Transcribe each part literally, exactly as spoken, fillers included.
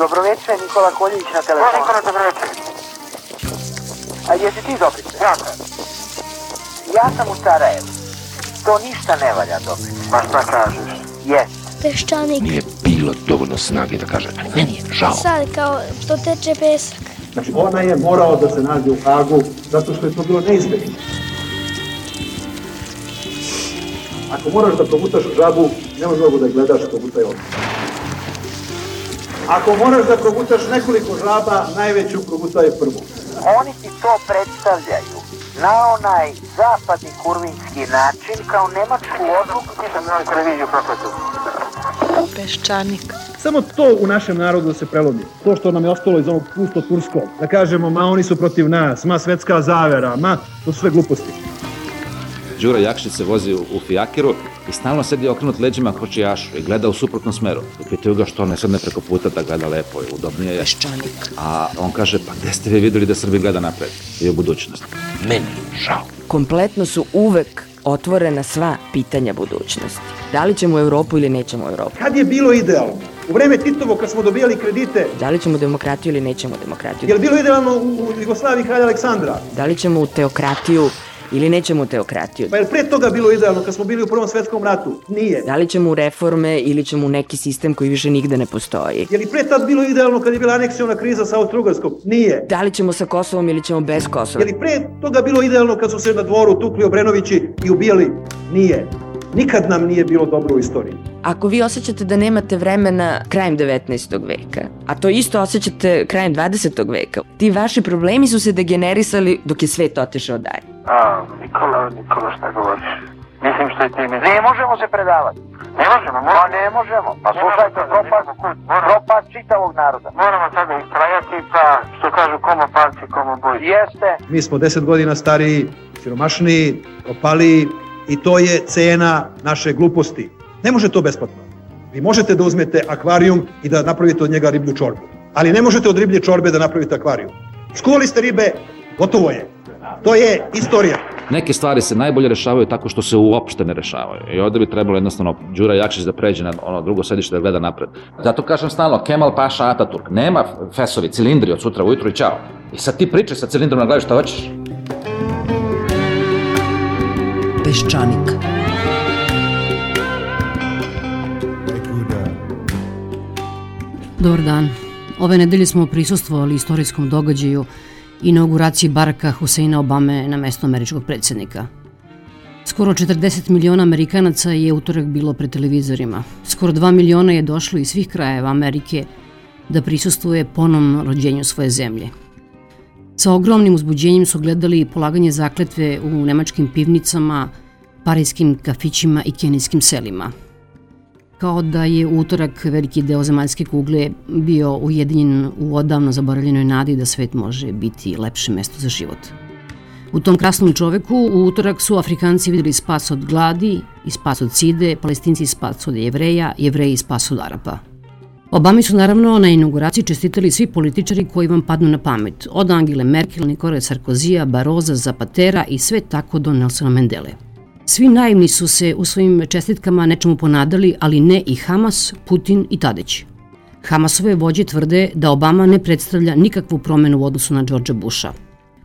Dobroveče, Nikola Koljević na telefonu. Nikola, dobroveče. A jesi ti Dobrice? Ja sam. Ja sam u Sarajevu. To ništa ne valja, Dobrice. Pa šta kažeš? Jes. Peščanik. Nije bilo dovoljno snage da kaže, meni je žao. Sad kao to teče pesak. Znači ona je morao da se nađe u Hagu zato što je to bilo neizbježno. Ako moraš da progutaš žabu, nema mnogo da gledaš, progutaj ovdje. Ako moraš da progutaš nekoliko žaba, najveću progutaj prvu. Oni ti to predstavljaju na onaj zapadni kurvinski način kao nemačku odluku. Nisam na televiziju prokletu. Peščanik. Samo to u našem narodu da se prelomi. To što nam je ostalo iz onog pusto turskog. Da kažemo, ma oni su protiv nas, ma svetska zavera, ma to su sve gluposti. Đura Jakšić se vozi u, u fijakiru i stalno sedi okrenut leđima kočijašu i gleda u suprotnom smeru. I pitaju ga što ne sedne preko puta da gleda lepo i udobnije je. Peščanik. A on kaže, pa gde ste vi vidjeli da Srbija gleda napred i u budućnost? Meni je žao. Kompletno su uvek otvorena sva pitanja budućnosti. Da li ćemo u Evropu ili nećemo u Evropu? Kad je bilo idealno? U vreme Titovo kad smo dobijali kredite. Da li ćemo demokratiju ili nećemo demokratiju? Je li bilo idealno u, u Jugoslaviji kralja Aleksandra? Da li ćemo u teokratiju ili nećemo u teokratiju? Pa je li pre toga bilo idealno kad smo bili u Prvom svetskom ratu? Nije. Da li ćemo u reforme ili ćemo u neki sistem koji više nigde ne postoji? Je li pre tad bilo idealno kad je bila aneksiona kriza sa Austro-Ugarskom? Nije. Da li ćemo sa Kosovom ili ćemo bez Kosova? Je li pre toga bilo idealno kad su se na dvoru tukli Obrenovići i ubijali? Nije. Nikad nam nije bilo dobro u istoriji. Ako vi osjećate da nemate vremena krajem devetnaestog veka, a to isto osjećate krajem dvadesetog veka, ti vaši problemi su se degenerisali dok je svet otišao dalje. A, Nikola, Nikola, šta govoriš? Mislim što je ti mi... Ne možemo se predavati. Ne možemo, Pa moramo. ne možemo. Pa slušajte, propast, propast čitavog naroda. Moramo sada istrajati, pa što kažu komo palci, komo boj. Jeste. Mi smo deset godina stariji, siromašniji, propaliji i to je cena naše gluposti. Ne može to besplatno. Vi možete da uzmete akvarijum i da napravite od njega riblju čorbu. Ali ne možete od riblje čorbe da napravite akvarijum. Skuvali ste ribe, gotovo je. To je istorija. Neke stvari se najbolje rešavaju tako što se uopšte ne rešavaju. I ovde bi trebalo jednostavno Đura Jakšić da pređe na ono drugo sedište da gleda napred. Zato kažem stalno, Kemal Paša Ataturk. Nema fesovi, cilindri od sutra ujutru i čao. I sad ti pričaj sa cilindrom na glavi šta hoćeš. Peščanik. Dobar dan. Ove nedelje smo prisustvovali istorijskom događaju inauguraciji Baracka Huseina Obame na mesto američkog predsjednika. Skoro četrdeset miliona Amerikanaca je utorak bilo pred televizorima. Skoro dva miliona je došlo iz svih krajeva Amerike da prisustvuje ponovnom rođenju svoje zemlje. Sa ogromnim uzbuđenjem su gledali polaganje zakletve u nemačkim pivnicama, parijskim kafićima i kenijskim selima. Kao da je u utorak veliki deo zemaljske kugle bio ujedinjen u odavno zaboravljenoj nadi da svet može biti lepše mesto za život. U tom krasnom čoveku u utorak su Afrikanci vidjeli spas od gladi i spas od side, Palestinci spas od Jevreja, Jevreji spas od Arapa. Obami su naravno na inauguraciji čestitali svi političari koji vam padnu na pamet, od Angele Merkel, Nikole Sarkozija, Baroza, Zapatera i sve tako do Nelsona Mandele. Svi naivni su se u svojim čestitkama nečemu ponadali, ali ne i Hamas, Putin i Tadić. Hamasove vođe tvrde da Obama ne predstavlja nikakvu promenu u odnosu na Georgea Busha.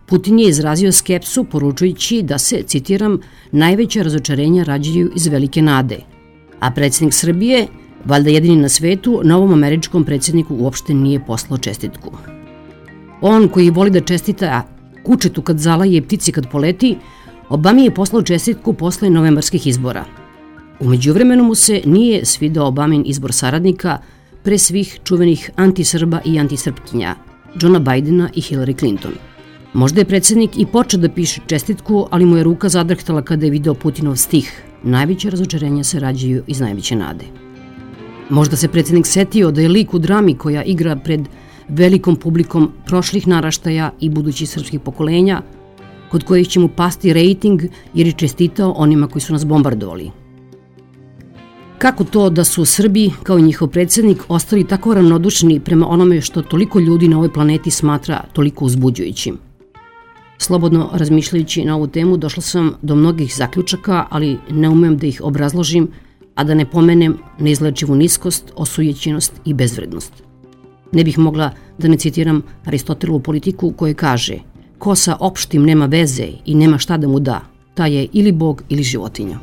Putin je izrazio skepsu poručujući da se, citiram, najveća razočarenja rađaju iz velike nade. A predsjednik Srbije, valjda jedini na svetu, novom američkom predsjedniku uopšte nije poslao čestitku. On koji voli da čestita kučetu kad zalaje i ptici kad poleti, Obami je poslao čestitku posle novembarskih izbora. U međuvremenu mu se nije svidao Obamin izbor saradnika pre svih čuvenih antisrba i antisrpkinja, Johna Bidena i Hillary Clinton. Možda je predsjednik i počeo da piše čestitku, ali mu je ruka zadrhtala kada je video Putinov stih: najveće razočarenja se rađaju iz najveće nade. Možda se predsjednik setio da je lik u drami koja igra pred velikom publikom prošlih naraštaja i budućih srpskih pokolenja, kod kojih će mu pasti rejting jer je čestitao onima koji su nas bombardovali. Kako to da su Srbi, kao i njihov predsjednik, ostali tako ravnodušni prema onome što toliko ljudi na ovoj planeti smatra toliko uzbuđujućim? Slobodno razmišljajući na ovu temu, došla sam do mnogih zaključaka, ali ne umem da ih obrazložim, a da ne pomenem neizlečivu niskost, osujećenost i bezvrednost. Ne bih mogla da ne citiram Aristotelovu politiku koja kaže: ko sa opštim nema veze i nema šta da mu da, taj je ili bog ili životinja.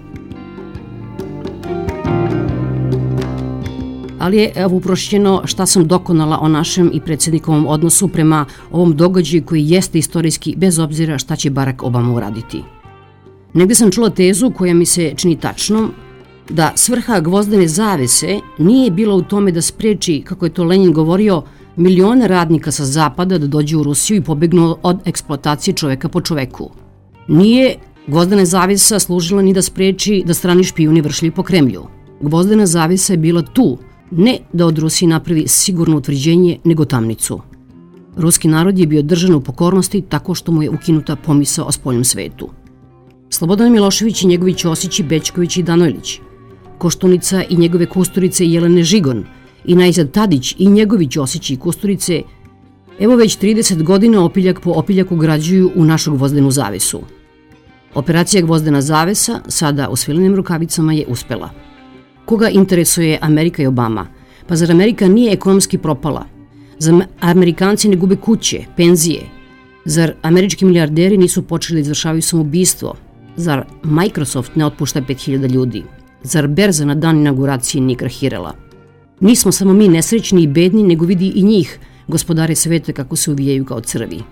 Ali je, evo, uprošćeno šta sam dokonala o našem i predsjednikovom odnosu prema ovom događaju koji jeste istorijski, bez obzira šta će Barack Obama uraditi. Negde sam čula tezu koja mi se čini tačnom, da svrha gvozdene zavese nije bila u tome da spreči, kako je to Lenin govorio, milione radnika sa zapada da dođu u Rusiju i pobegnu od eksploatacije čoveka po čoveku. Nije gvozdena zavesa služila ni da spreči da strani špijuni vršili po Kremlju. Gvozdena zavesa je bila tu, ne da od Rusije napravi sigurno utvrđenje, nego tamnicu. Ruski narod je bio držan u pokornosti tako što mu je ukinuta pomisao o spoljnom svetu. Slobodan Milošević i njegovi Ćosići, Bećković i Danojlić, Koštunica i njegove Kusturice i Jelene Žigon, i najzad Tadić i njegovi Ćosići i Kusturice, evo već trideset godina opiljak po opiljaku građuju u našu gvozdenu zavesu. Operacija gvozdena zavesa, sada u svilenim rukavicama, je uspela. Koga interesuje Amerika i Obama? Pa zar Amerika nije ekonomski propala? Zar Amerikanci ne gube kuće, penzije? Zar američki milijarderi nisu počeli da izvršavaju samoubistvo? Zar Microsoft ne otpušta pet hiljada ljudi? Zar berza na dan inauguracije nije krahirala? Nismo samo mi nesrećni i bedni, nego vidi i njih, gospodare sveta, kako se uvijaju kao crvi.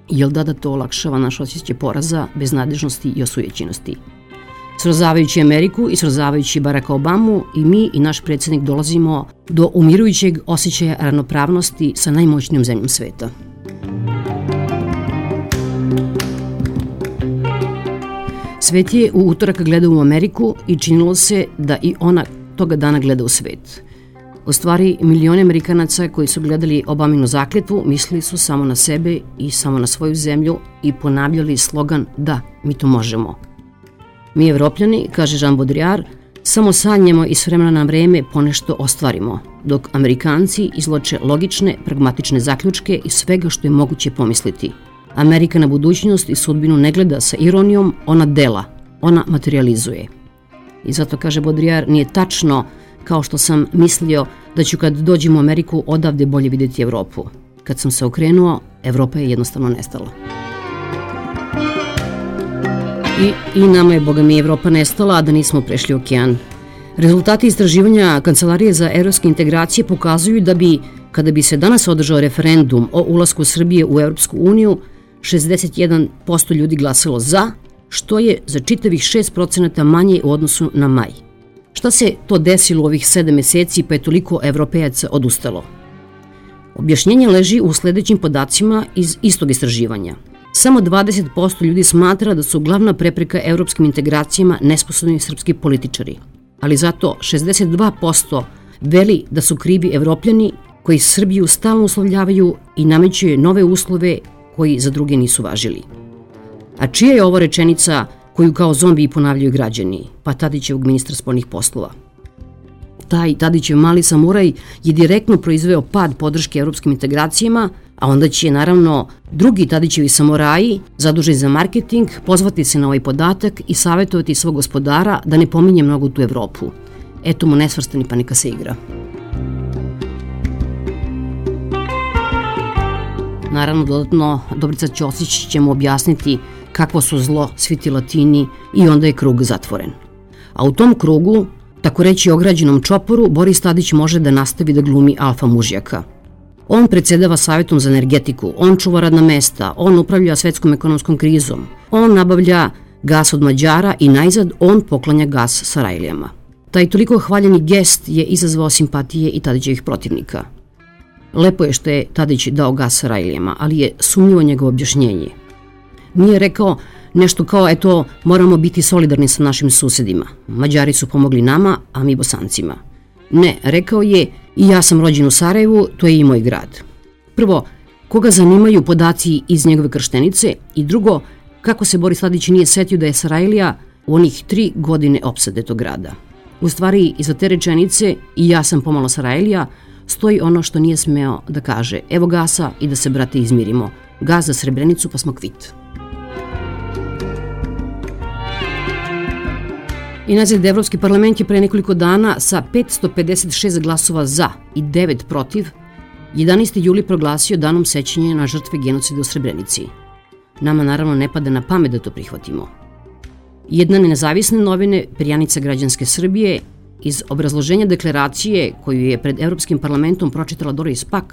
Jel da da to olakšava naš osjećaj poraza, beznadežnosti i osujećenosti? Srozavajući Ameriku i srozavajući Baracka Obamu, i mi i naš predsjednik dolazimo do umirujućeg osjećaja ravnopravnosti sa najmoćnijom zemljom sveta. Svet je u utorak gledao u Ameriku i činilo se da i ona toga dana gleda u svet. U stvari, milioni Amerikanaca koji su gledali Obaminu zakletvu mislili su samo na sebe i samo na svoju zemlju i ponavljali slogan "Da, mi to možemo". Mi Evropljani, kaže Jean Baudrillard, samo sanjamo i s vremena na vreme ponešto ostvarimo, dok Amerikanci izvlače logične, pragmatične zaključke iz svega što je moguće pomisliti. Amerika na budućnost i sudbinu ne gleda sa ironijom, ona dela, ona materializuje. I zato, kaže Baudrillard, nije tačno, kao što sam mislio, da ću kad dođem u Ameriku odavde bolje vidjeti Evropu. Kad sam se okrenuo, Evropa je jednostavno nestala. I, i nama je, boga mi, Evropa nestala, a da nismo prešli okean. Rezultati istraživanja Kancelarije za evropske integracije pokazuju da bi, kada bi se danas održao referendum o ulasku Srbije u Evropsku uniju, šezdeset jedan posto ljudi glasalo za, što je za čitavih šest procenata manje u odnosu na maj. Šta se to desilo u ovih sedam meseci pa je toliko Evropejaca odustalo? Objašnjenje leži u sledećim podacima iz istog istraživanja. Samo dvadeset posto ljudi smatra da su glavna prepreka evropskim integracijama nesposobni srpski političari, ali zato šezdeset dva posto veli da su krivi Evropljani koji Srbiju stalno uslovljavaju i nameću nove uslove koji za druge nisu važili. A čija je ovo rečenica koju kao zombiji ponavljaju građani? Pa Tadićevog ministra spoljnih poslova. Taj Tadićev mali samuraj je direktno proizveo pad podrške evropskim integracijama, a onda će, naravno, drugi Tadićevi samuraji, zaduženi za marketing, pozvati se na ovaj podatak i savjetovati svog gospodara da ne pominje mnogo tu Evropu. Eto mu nesvrstani, pa neka se igra. Naravno, dodatno, Dobrica Ćosić će mu objasniti kakvo su zlo svi ti Latini i onda je krug zatvoren. A u tom krugu, tako reći ograđenom čoporu, Boris Tadić može da nastavi da glumi alfa mužjaka. On predsedava Savjetom za energetiku, on čuva radna mesta, on upravlja svetskom ekonomskom krizom, on nabavlja gas od Mađara i najzad on poklanja gas Sarajlijama. Taj toliko hvaljeni gest je izazvao simpatije i Tadićevih protivnika. Lepo je što je Tadić dao gas Sarajlijama, ali je sumnjivo njegovo objašnjenje. Nije rekao nešto kao, eto, moramo biti solidarni sa našim susedima. Mađari su pomogli nama, a mi Bosancima. Ne, rekao je, i ja sam rođen u Sarajevu, to je i moj grad. Prvo, koga zanimaju podaci iz njegove krštenice, i drugo, kako se Boris Tadić nije setio da je Sarajlija u onih tri godine opsade tog grada. U stvari, iza te rečenice, i ja sam pomalo Sarajlija, stoji ono što nije smeo da kaže, evo gasa i da se, brate, izmirimo. Gas za Srebrenicu pa smo kvit. I nazad, Evropski parlament je pre nekoliko dana sa petsto pedeset šest glasova za i devet protiv jedanaesti juli proglasio danom sećanja na žrtve genocida u Srebrenici. Nama naravno ne pada na pamet da to prihvatimo. Jedna nezavisne novine, perjanica građanske Srbije, iz obrazloženja deklaracije koju je pred Evropskim parlamentom pročitala Doris Pack,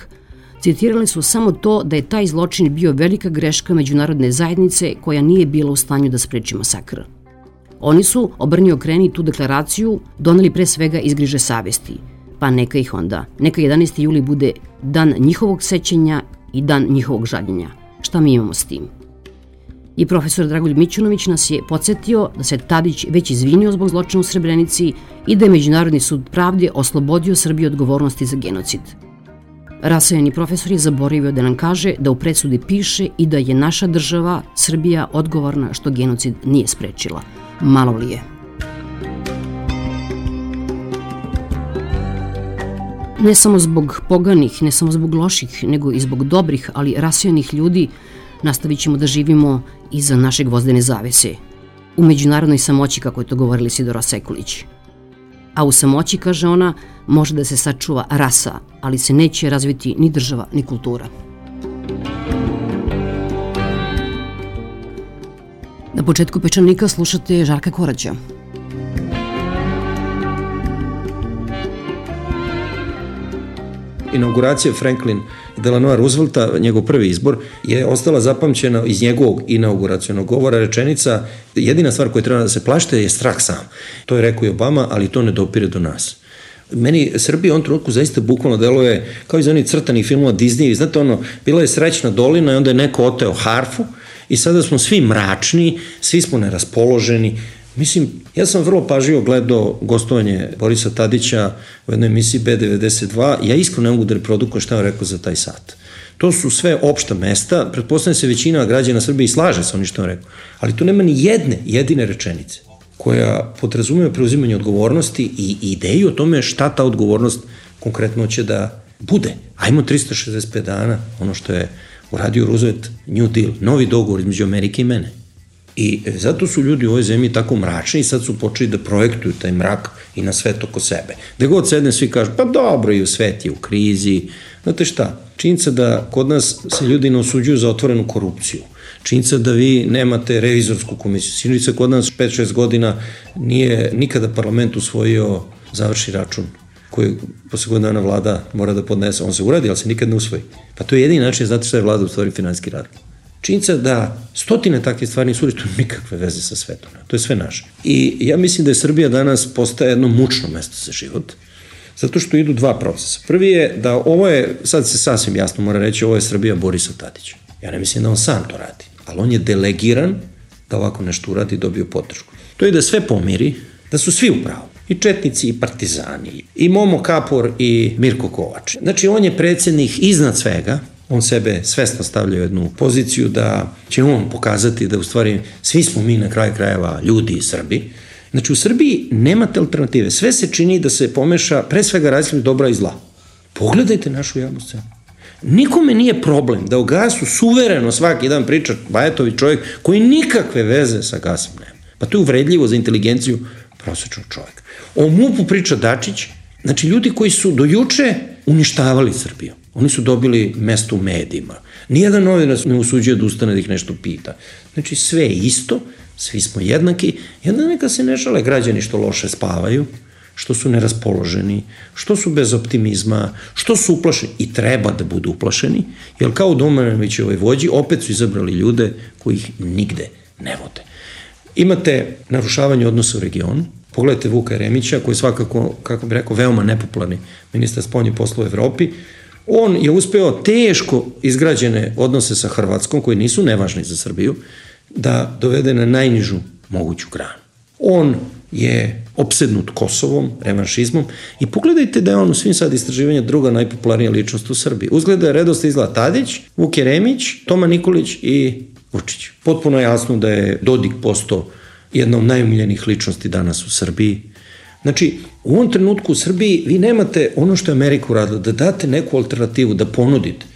citirali su samo to da je taj zločin bio velika greška međunarodne zajednice koja nije bila u stanju da spreči masakr. Oni su, obrni okreni tu deklaraciju, doneli pre svega iz griže savesti, pa neka ih onda. Neka jedanaesti juli bude dan njihovog sećanja i dan njihovog žaljenja. Šta mi imamo s tim? I profesor Dragoljub Mićunović nas je podsjetio da se Tadić već izvinio zbog zločina u Srebrenici i da je Međunarodni sud pravde oslobodio Srbiju odgovornosti za genocid. Rasajeni profesor je zaboravio da nam kaže da u presudi piše i da je naša država, Srbija, odgovorna što genocid nije sprečila. Malo li je? Ne samo zbog poganih, ne samo zbog loših, nego i zbog dobrih, ali rasejanih ljudi nastavit ćemo da živimo iza naše gvozdene zavese. U međunarodnoj samoći, kako je to govorila Isidora Sekulić. A u samoći, kaže ona, može da se sačuva rasa, ali se neće razviti ni država, ni kultura. Na početku Pečanika slušate Žarka Koraća. Inauguracija Franklin Delano Roosevelta, njegov prvi izbor, je ostala zapamćena iz njegovog inauguracionog govora rečenica: jedina stvar koja treba da se plašte je strah sam. To je rekao i Obama, ali to ne dopire do nas. Meni Srbija u ovom trenutku zaista bukvalno deluje kao iz onih crtanih filmova Disney. Znate ono, bila je srećna dolina i onda je neko oteo harfu i sada smo svi mračni, svi smo neraspoloženi. Mislim, ja sam vrlo pažljivo gledao gostovanje Borisa Tadića u jednoj emisiji B devedeset dva. Ja iskreno ne mogu da reprodukujem šta je rekao za taj sat. To su sve opšta mesta, pretpostavljam se većina građana Srbije i slaže sa onim što je rekao, ali tu nema ni jedne jedine rečenice koja podrazumeva preuzimanje odgovornosti i ideju o tome šta ta odgovornost konkretno će da bude. Ajmo trista šezdeset pet dana, ono što je uradio Roosevelt, New Deal, novi dogovor između Amerike i mene. I zato su ljudi u ovoj zemlji tako mračni i sad su počeli da projektuju taj mrak i na svet oko sebe. Gde god sedne svi kažu, pa dobro, i u svet je u krizi. Znate šta, činjenica da kod nas se ljudi ne osuđuju za otvorenu korupciju. Činjenica da vi nemate revizorsku komisiju. Činjenica kod nas pet šest godina nije nikada parlament usvojio završi račun koji posle godina dana vlada mora da podnese. On se uradi, ali se nikad ne usvoji. Pa to je jedini način, znate šta je vlada u stvari finansijski rad. Činjenica da stotine takve stvari nisu uvijek nikakve veze sa svetom. To je sve naše. I ja mislim da je Srbija danas postaje jedno mučno mesto za život, zato što idu dva procesa. Prvi je da ovo je, sad se sasvim jasno mora reći, ovo je Srbija Borisa Tadića. Ja ne mislim da on sam to radi, ali on je delegiran da ovako nešto uradi i dobio podršku. To je da sve pomiri, da su svi u pravu. I četnici, i partizani, i Momo Kapor, i Mirko Kovač. Znači, on je predsjednik iznad svega. On sebe svesno stavlja u jednu poziciju da će on pokazati da u stvari svi smo mi na kraju krajeva ljudi i Srbi. Znači u Srbiji nemate alternative. Sve se čini da se pomeša pre svega različitih dobra i zla. Pogledajte našu javnu scenu. Nikome nije problem da o gasu suvereno svaki dan priča Bajatović, čovjek koji nikakve veze sa gasom nema. Pa to je uvredljivo za inteligenciju prosječnog čovjeka. O MUP-u priča Dačić, znači ljudi koji su do juče uništavali Srbiju. Oni su dobili mesto u medijima. Nijedan novinar ne usuđuje da ustane da ih nešto pita. Znači sve je isto, svi smo jednaki, i onda neka se ne žale građani što loše spavaju, što su neraspoloženi, što su bez optimizma, što su uplašeni i treba da budu uplašeni, jer kao u Domanovićevoj vođi opet su izabrali ljude koji ih nigde ne vode. Imate narušavanje odnosa u regionu. Pogledajte Vuka Jeremića, koji je svakako, kako bih rekao, veoma nepopularni ministar spoljnih poslova u Evropi. On je uspeo teško izgrađene odnose sa Hrvatskom, koji nisu nevažni za Srbiju, da dovede na najnižu moguću granu. On je opsednut Kosovom, revanšizmom i pogledajte da je on u svim sad istraživanja druga najpopularnija ličnost u Srbiji. Uzgleda je redost izgleda Tadić, Vuk Jeremić, Toma Nikolić i Vučić. Potpuno je jasno da je Dodik postao jedna od najumiljenih ličnosti danas u Srbiji. Znači, u ovom trenutku u Srbiji vi nemate ono što je Amerika uradila, da date neku alternativu, da ponudite.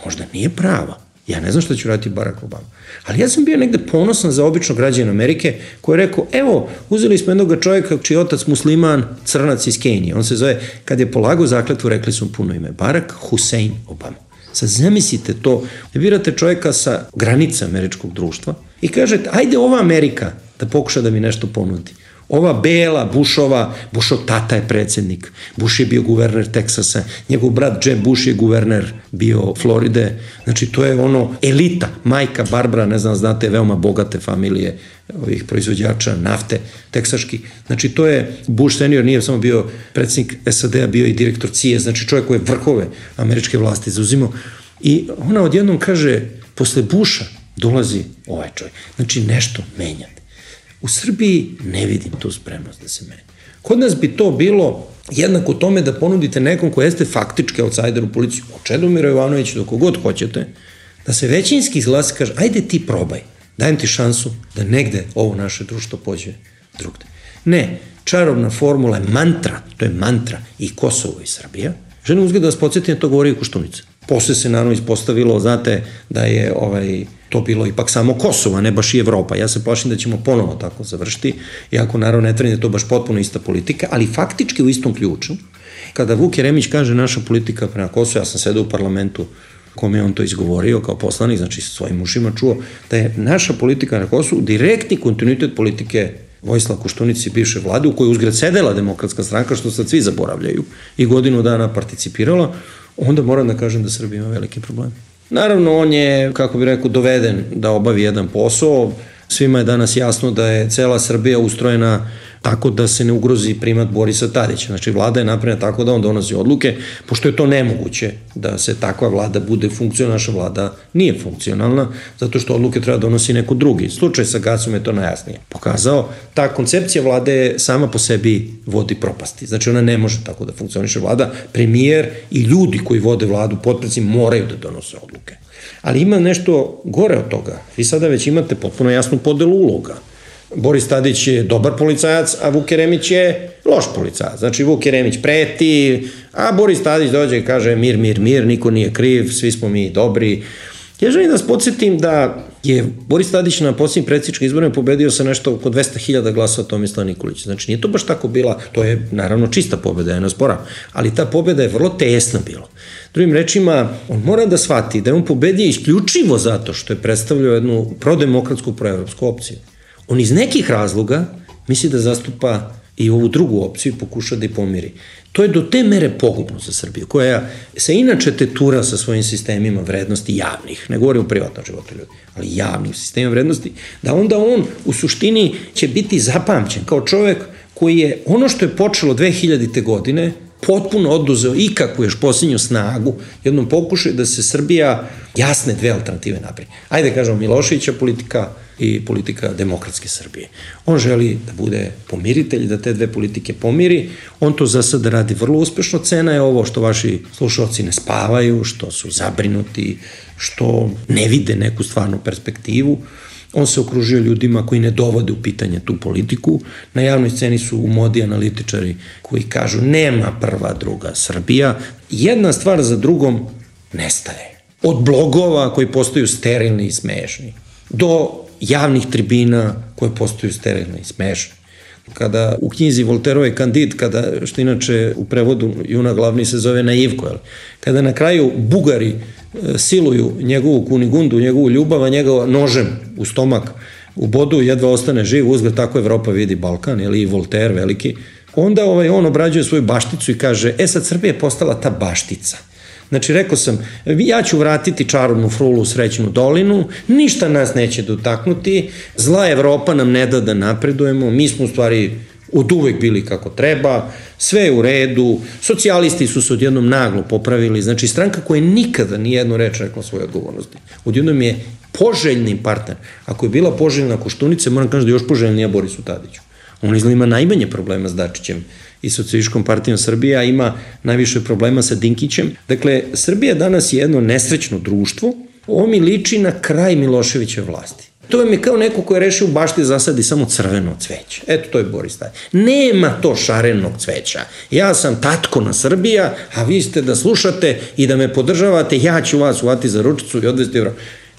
Možda nije prava, Ja ne znam šta će raditi Barack Obama. Ali ja sam bio negde ponosan za običnog građana Amerike koji je rekao, evo, uzeli smo jednog čovjeka čiji je otac musliman, crnac iz Kenije. On se zove, kad je polagao zakletvu, rekli su puno ime, Barack Hussein Obama. Sad zamislite to, birate čovjeka sa granica američkog društva i kažete, ajde ova Amerika da pokuša da mi nešto ponudi. Ova bela, Bushova, Bushov tata je predsjednik, Bush je bio guverner Teksasa, njegov brat Jeb Bush je guverner bio Floride, znači to je ono elita, majka Barbara, ne znam, znate, veoma bogate familije ovih proizvođača nafte, teksaški, znači to je Bush senior, nije samo bio predsjednik S A D-a, bio i direktor C I A, znači čovjek koji je vrhove američke vlasti zauzimao i ona odjednom kaže, posle Busha dolazi ovaj čovjek, znači nešto menjate. U Srbiji ne vidim tu spremnost da se menja. Kod nas bi to bilo jednako tome da ponudite nekom ko jeste faktički outsider u policiju, od Čedomira Jovanovića do kogod hoćete, da se većinski glas kaže, ajde ti probaj, dajem ti šansu da negde ovo naše društvo pođe drugde. Ne, čarobna formula je mantra, to je mantra i Kosovo i Srbija. Želim uzgled da vas podsjetim, to govori i Koštunica. Posle se naravno ispostavilo, znate, da je ovaj, to bilo ipak samo Kosovo, a ne baš i Evropa. Ja se plašim da ćemo ponovo tako završiti, iako naravno ne tvrdim da je to baš potpuno ista politika, ali faktički u istom ključu. Kada Vuk Jeremić kaže naša politika prema Kosovu, ja sam sedao u parlamentu kome je on to izgovorio kao poslanik, znači sa svojim ušima čuo, da je naša politika na Kosovu direktni kontinuitet politike Vojislava Koštunice i bivše vlade, u kojoj uzgred sedela Demokratska stranka, što sad svi zaboravljaju, i godinu dana participirala, onda moram da kažem da Srbija ima veliki problem. Naravno, on je, kako bih rekao, doveden da obavi jedan posao. Svima je danas jasno da je cela Srbija ustrojena tako da se ne ugrozi primat Borisa Tadića. Znači, vlada je napravljena tako da on donosi odluke, pošto je to nemoguće da se takva vlada bude funkcionalna, naša vlada nije funkcionalna, zato što odluke treba donosi neko drugi. Slučaj sa gasom je to najjasnije pokazao. Ta koncepcija vlade sama po sebi vodi propasti. Znači, ona ne može tako da funkcioniše vlada. Premijer i ljudi koji vode vladu, potpredsednici, moraju da donose odluke. Ali ima nešto gore od toga. Vi sada već imate potpuno jasnu podelu uloga. Boris Tadić je dobar policajac, a Vuk Jeremić je loš policajac. Znači, Vuk Jeremić preti, a Boris Tadić dođe i kaže mir, mir, mir, niko nije kriv, svi smo mi dobri. Ja želim da vas podsjetim da je Boris Tadić na posljednjim predsjedničkim izborima pobedio sa nešto oko dvesta hiljada glasova Tomislava Nikolića. Znači, nije to baš tako bila, to je naravno čista pobeda, ja ne osporavam, ali ta pobeda je vrlo tesna bila. Drugim rečima, on mora da shvati da je on pobedio isključivo zato što je predstavljao jednu prodemokratsku, proevropsku opciju. On iz nekih razloga misli da zastupa i ovu drugu opciju i pokuša da je pomiri. To je do te mere pogubno za Srbiju, koja se inače tetura sa svojim sistemima vrednosti javnih, ne govorim o privatnom životu ljudi, ali javnih sistema vrednosti, da onda on u suštini će biti zapamćen kao čovek koji je ono što je počelo dve hiljadite godine potpuno oduzeo ikakvu još posljednju snagu, jednom pokušaju da se Srbija jasne dve alternative napravi. Ajde kažemo Miloševića politika i politika demokratske Srbije. On želi da bude pomiritelj, da te dve politike pomiri, on to za sada radi vrlo uspešno, cena je ovo što vaši slušalci ne spavaju, što su zabrinuti, što ne vide neku stvarnu perspektivu. On se okružio ljudima koji ne dovode u pitanje tu politiku. Na javnoj sceni su u modi analitičari koji kažu nema prva, druga Srbija. Jedna stvar za drugom nestaje. Od blogova koji postaju sterilni i smešni, do javnih tribina koje postaju sterilni i smešni. Kada u knjizi Volterove Kandid, kada, što inače u prevodu Juna glavni se zove Naivko, kada na kraju Bugari siluju njegovu Kunigundu, njegovu ljubav, a njega nožem u stomak u bodu, jedva ostane živ, uzgled tako Evropa vidi Balkan, ili i Voltaire veliki, onda ovaj, on obrađuje svoju bašticu i kaže, e sad Srbija je postala ta baštica. Znači, rekao sam, ja ću vratiti čarobnu frulu u Srećnu dolinu, ništa nas neće dotaknuti, zla Evropa nam ne da da napredujemo, mi smo u stvari od uvek bili kako treba, sve je u redu, socijalisti su se odjednom naglo popravili, znači stranka koja nikada nijednu reč rekla svoje odgovornosti. Odjednom je poželjni partner. Ako je bila poželjna Koštunica, moram kažem da je još poželjnija Borisu Tadiću. On izgleda ima najmanje problema s Dačićem i Socijalističkom partijom Srbije, a ima najviše problema sa Dinkićem. Dakle, Srbija danas je jedno nesrećno društvo, ovo mi liči na kraj Miloševićeve vlasti. To vam je kao neko ko je rešio u bašti zasadi samo crveno cveće. Eto, to je Boris Tadić. Nema to šarenog cveća. Ja sam tatko na Srbija, a vi ste da slušate i da me podržavate, ja ću vas uvati za ručicu i odvesti evro.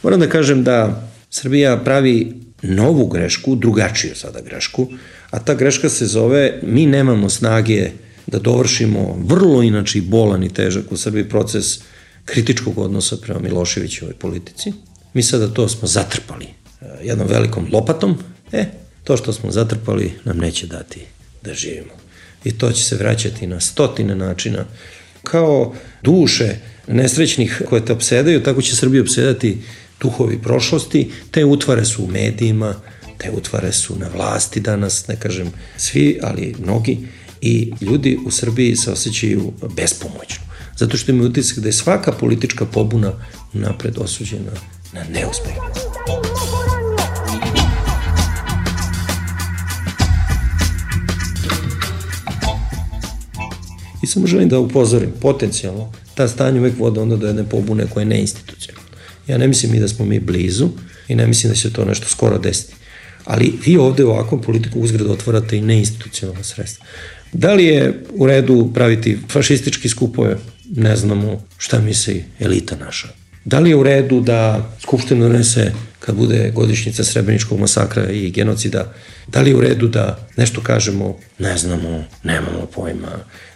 Moram da kažem da Srbija pravi novu grešku, drugačiju sada grešku, a ta greška se zove mi nemamo snage da dovršimo vrlo inače i bolan i težak u Srbiji proces kritičkog odnosa prema Miloševićevoj politici. Mi sada to smo zatrpali jednom velikom lopatom, e, to što smo zatrpali nam neće dati da živimo. I to će se vraćati na stotine načina. Kao duše nesrećnih koje te opsedaju, tako će Srbiju opsedati duhovi prošlosti, te utvare su u medijima, te utvare su na vlasti danas, ne kažem svi, ali mnogi, i ljudi u Srbiji se osjećaju bespomoćno. Zato što imaju utisak da je svaka politička pobuna napred osuđena na neuspeh. I samo želim da upozorim, potencijalno, ta stanje uvek vode onda do jedne pobune koja je neinstitucionalna. Ja ne mislim i da smo mi blizu i ne mislim da će to nešto skoro desiti. Ali vi ovde u ovakvom politiku uzgred otvarate i neinstitucionalna sredstva. Da li je u redu praviti fašistički skupove? Ne znamo šta misli elita naša. Da li je u redu da Skupština donese, kad bude godišnjica Srebreničkog masakra i genocida, da li je u redu da nešto kažemo? Ne znamo, nemamo pojma.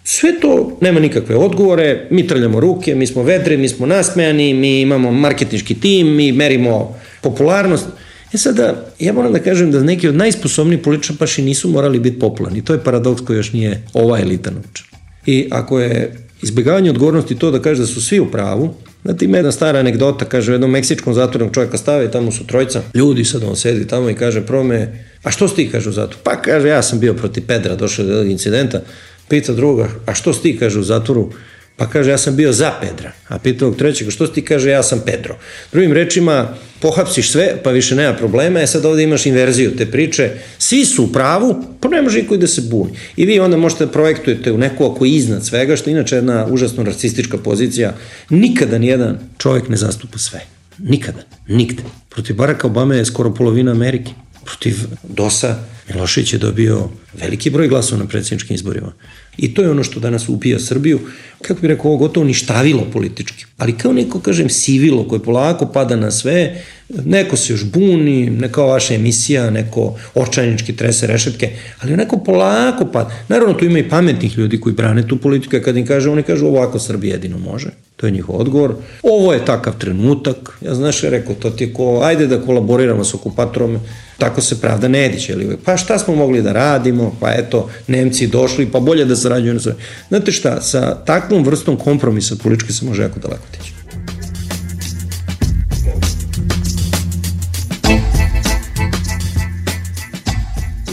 Sve to nema nikakve odgovore, mi trljamo ruke, mi smo vedri, mi smo nasmejani, mi imamo marketinški tim, mi merimo popularnost. E sada, ja moram da kažem da neki od najsposobnijih političara baš i nisu morali biti popularni. To je paradoks koji još nije ova elita naučila. I ako je izbjegavanje odgovornosti to da kaže da su svi u pravu, znate, ima jedna stara anegdota, kaže u jednom meksičkom zatvornog čovjeka stave i tamo su trojica ljudi, sad on sedi tamo i kaže prome, a što si ti, kaže u zatvoru? Pa kaže, ja sam bio protiv Pedra, došao do incidenta, pita druga, a što si ti, kaže u zatvoru? Pa kaže, ja sam bio za Pedra. A pita ovog trećeg, što si ti, kaže, ja sam Pedro. Drugim rečima, pohapsiš sve, pa više nema problema, e sad ovde imaš inverziju te priče, svi su u pravu, pa ne može niko i da se buni. I vi onda možete da projektujete u neko ako je iznad svega, što je inače jedna užasno narcistička pozicija. Nikada nijedan čovjek ne zastupa sve. Nikada. Nigde. Protiv Baracka Obame je skoro polovina Amerike. Protiv dosa Milošević je dobio veliki broj glasova na predsjedničkim izborima. I to je ono što danas ubija Srbiju, kako bih rekao, ovo gotovo ništavilo politički. Ali kao neko, kažem, sivilo koje polako pada na sve, neko se još buni, neka vaša emisija, neko očajnički trese rešetke, ali onako polako pada. Naravno, tu ima i pametnih ljudi koji brane tu politiku, kad im kaže, oni kažu ovako Srbija jedino može. To je njihov odgovor. Ovo je takav trenutak. Ja znaš, je rekao, to ti je ko, ajde da kolaboriramo s okupatorom, tako se pravda ne diće. Pa šta smo mogli da radimo, pa eto, Nemci došli, pa bolje da sarađuju na sve. Znate šta, sa takvom vrstom kompromisa politički se može jako daleko tići.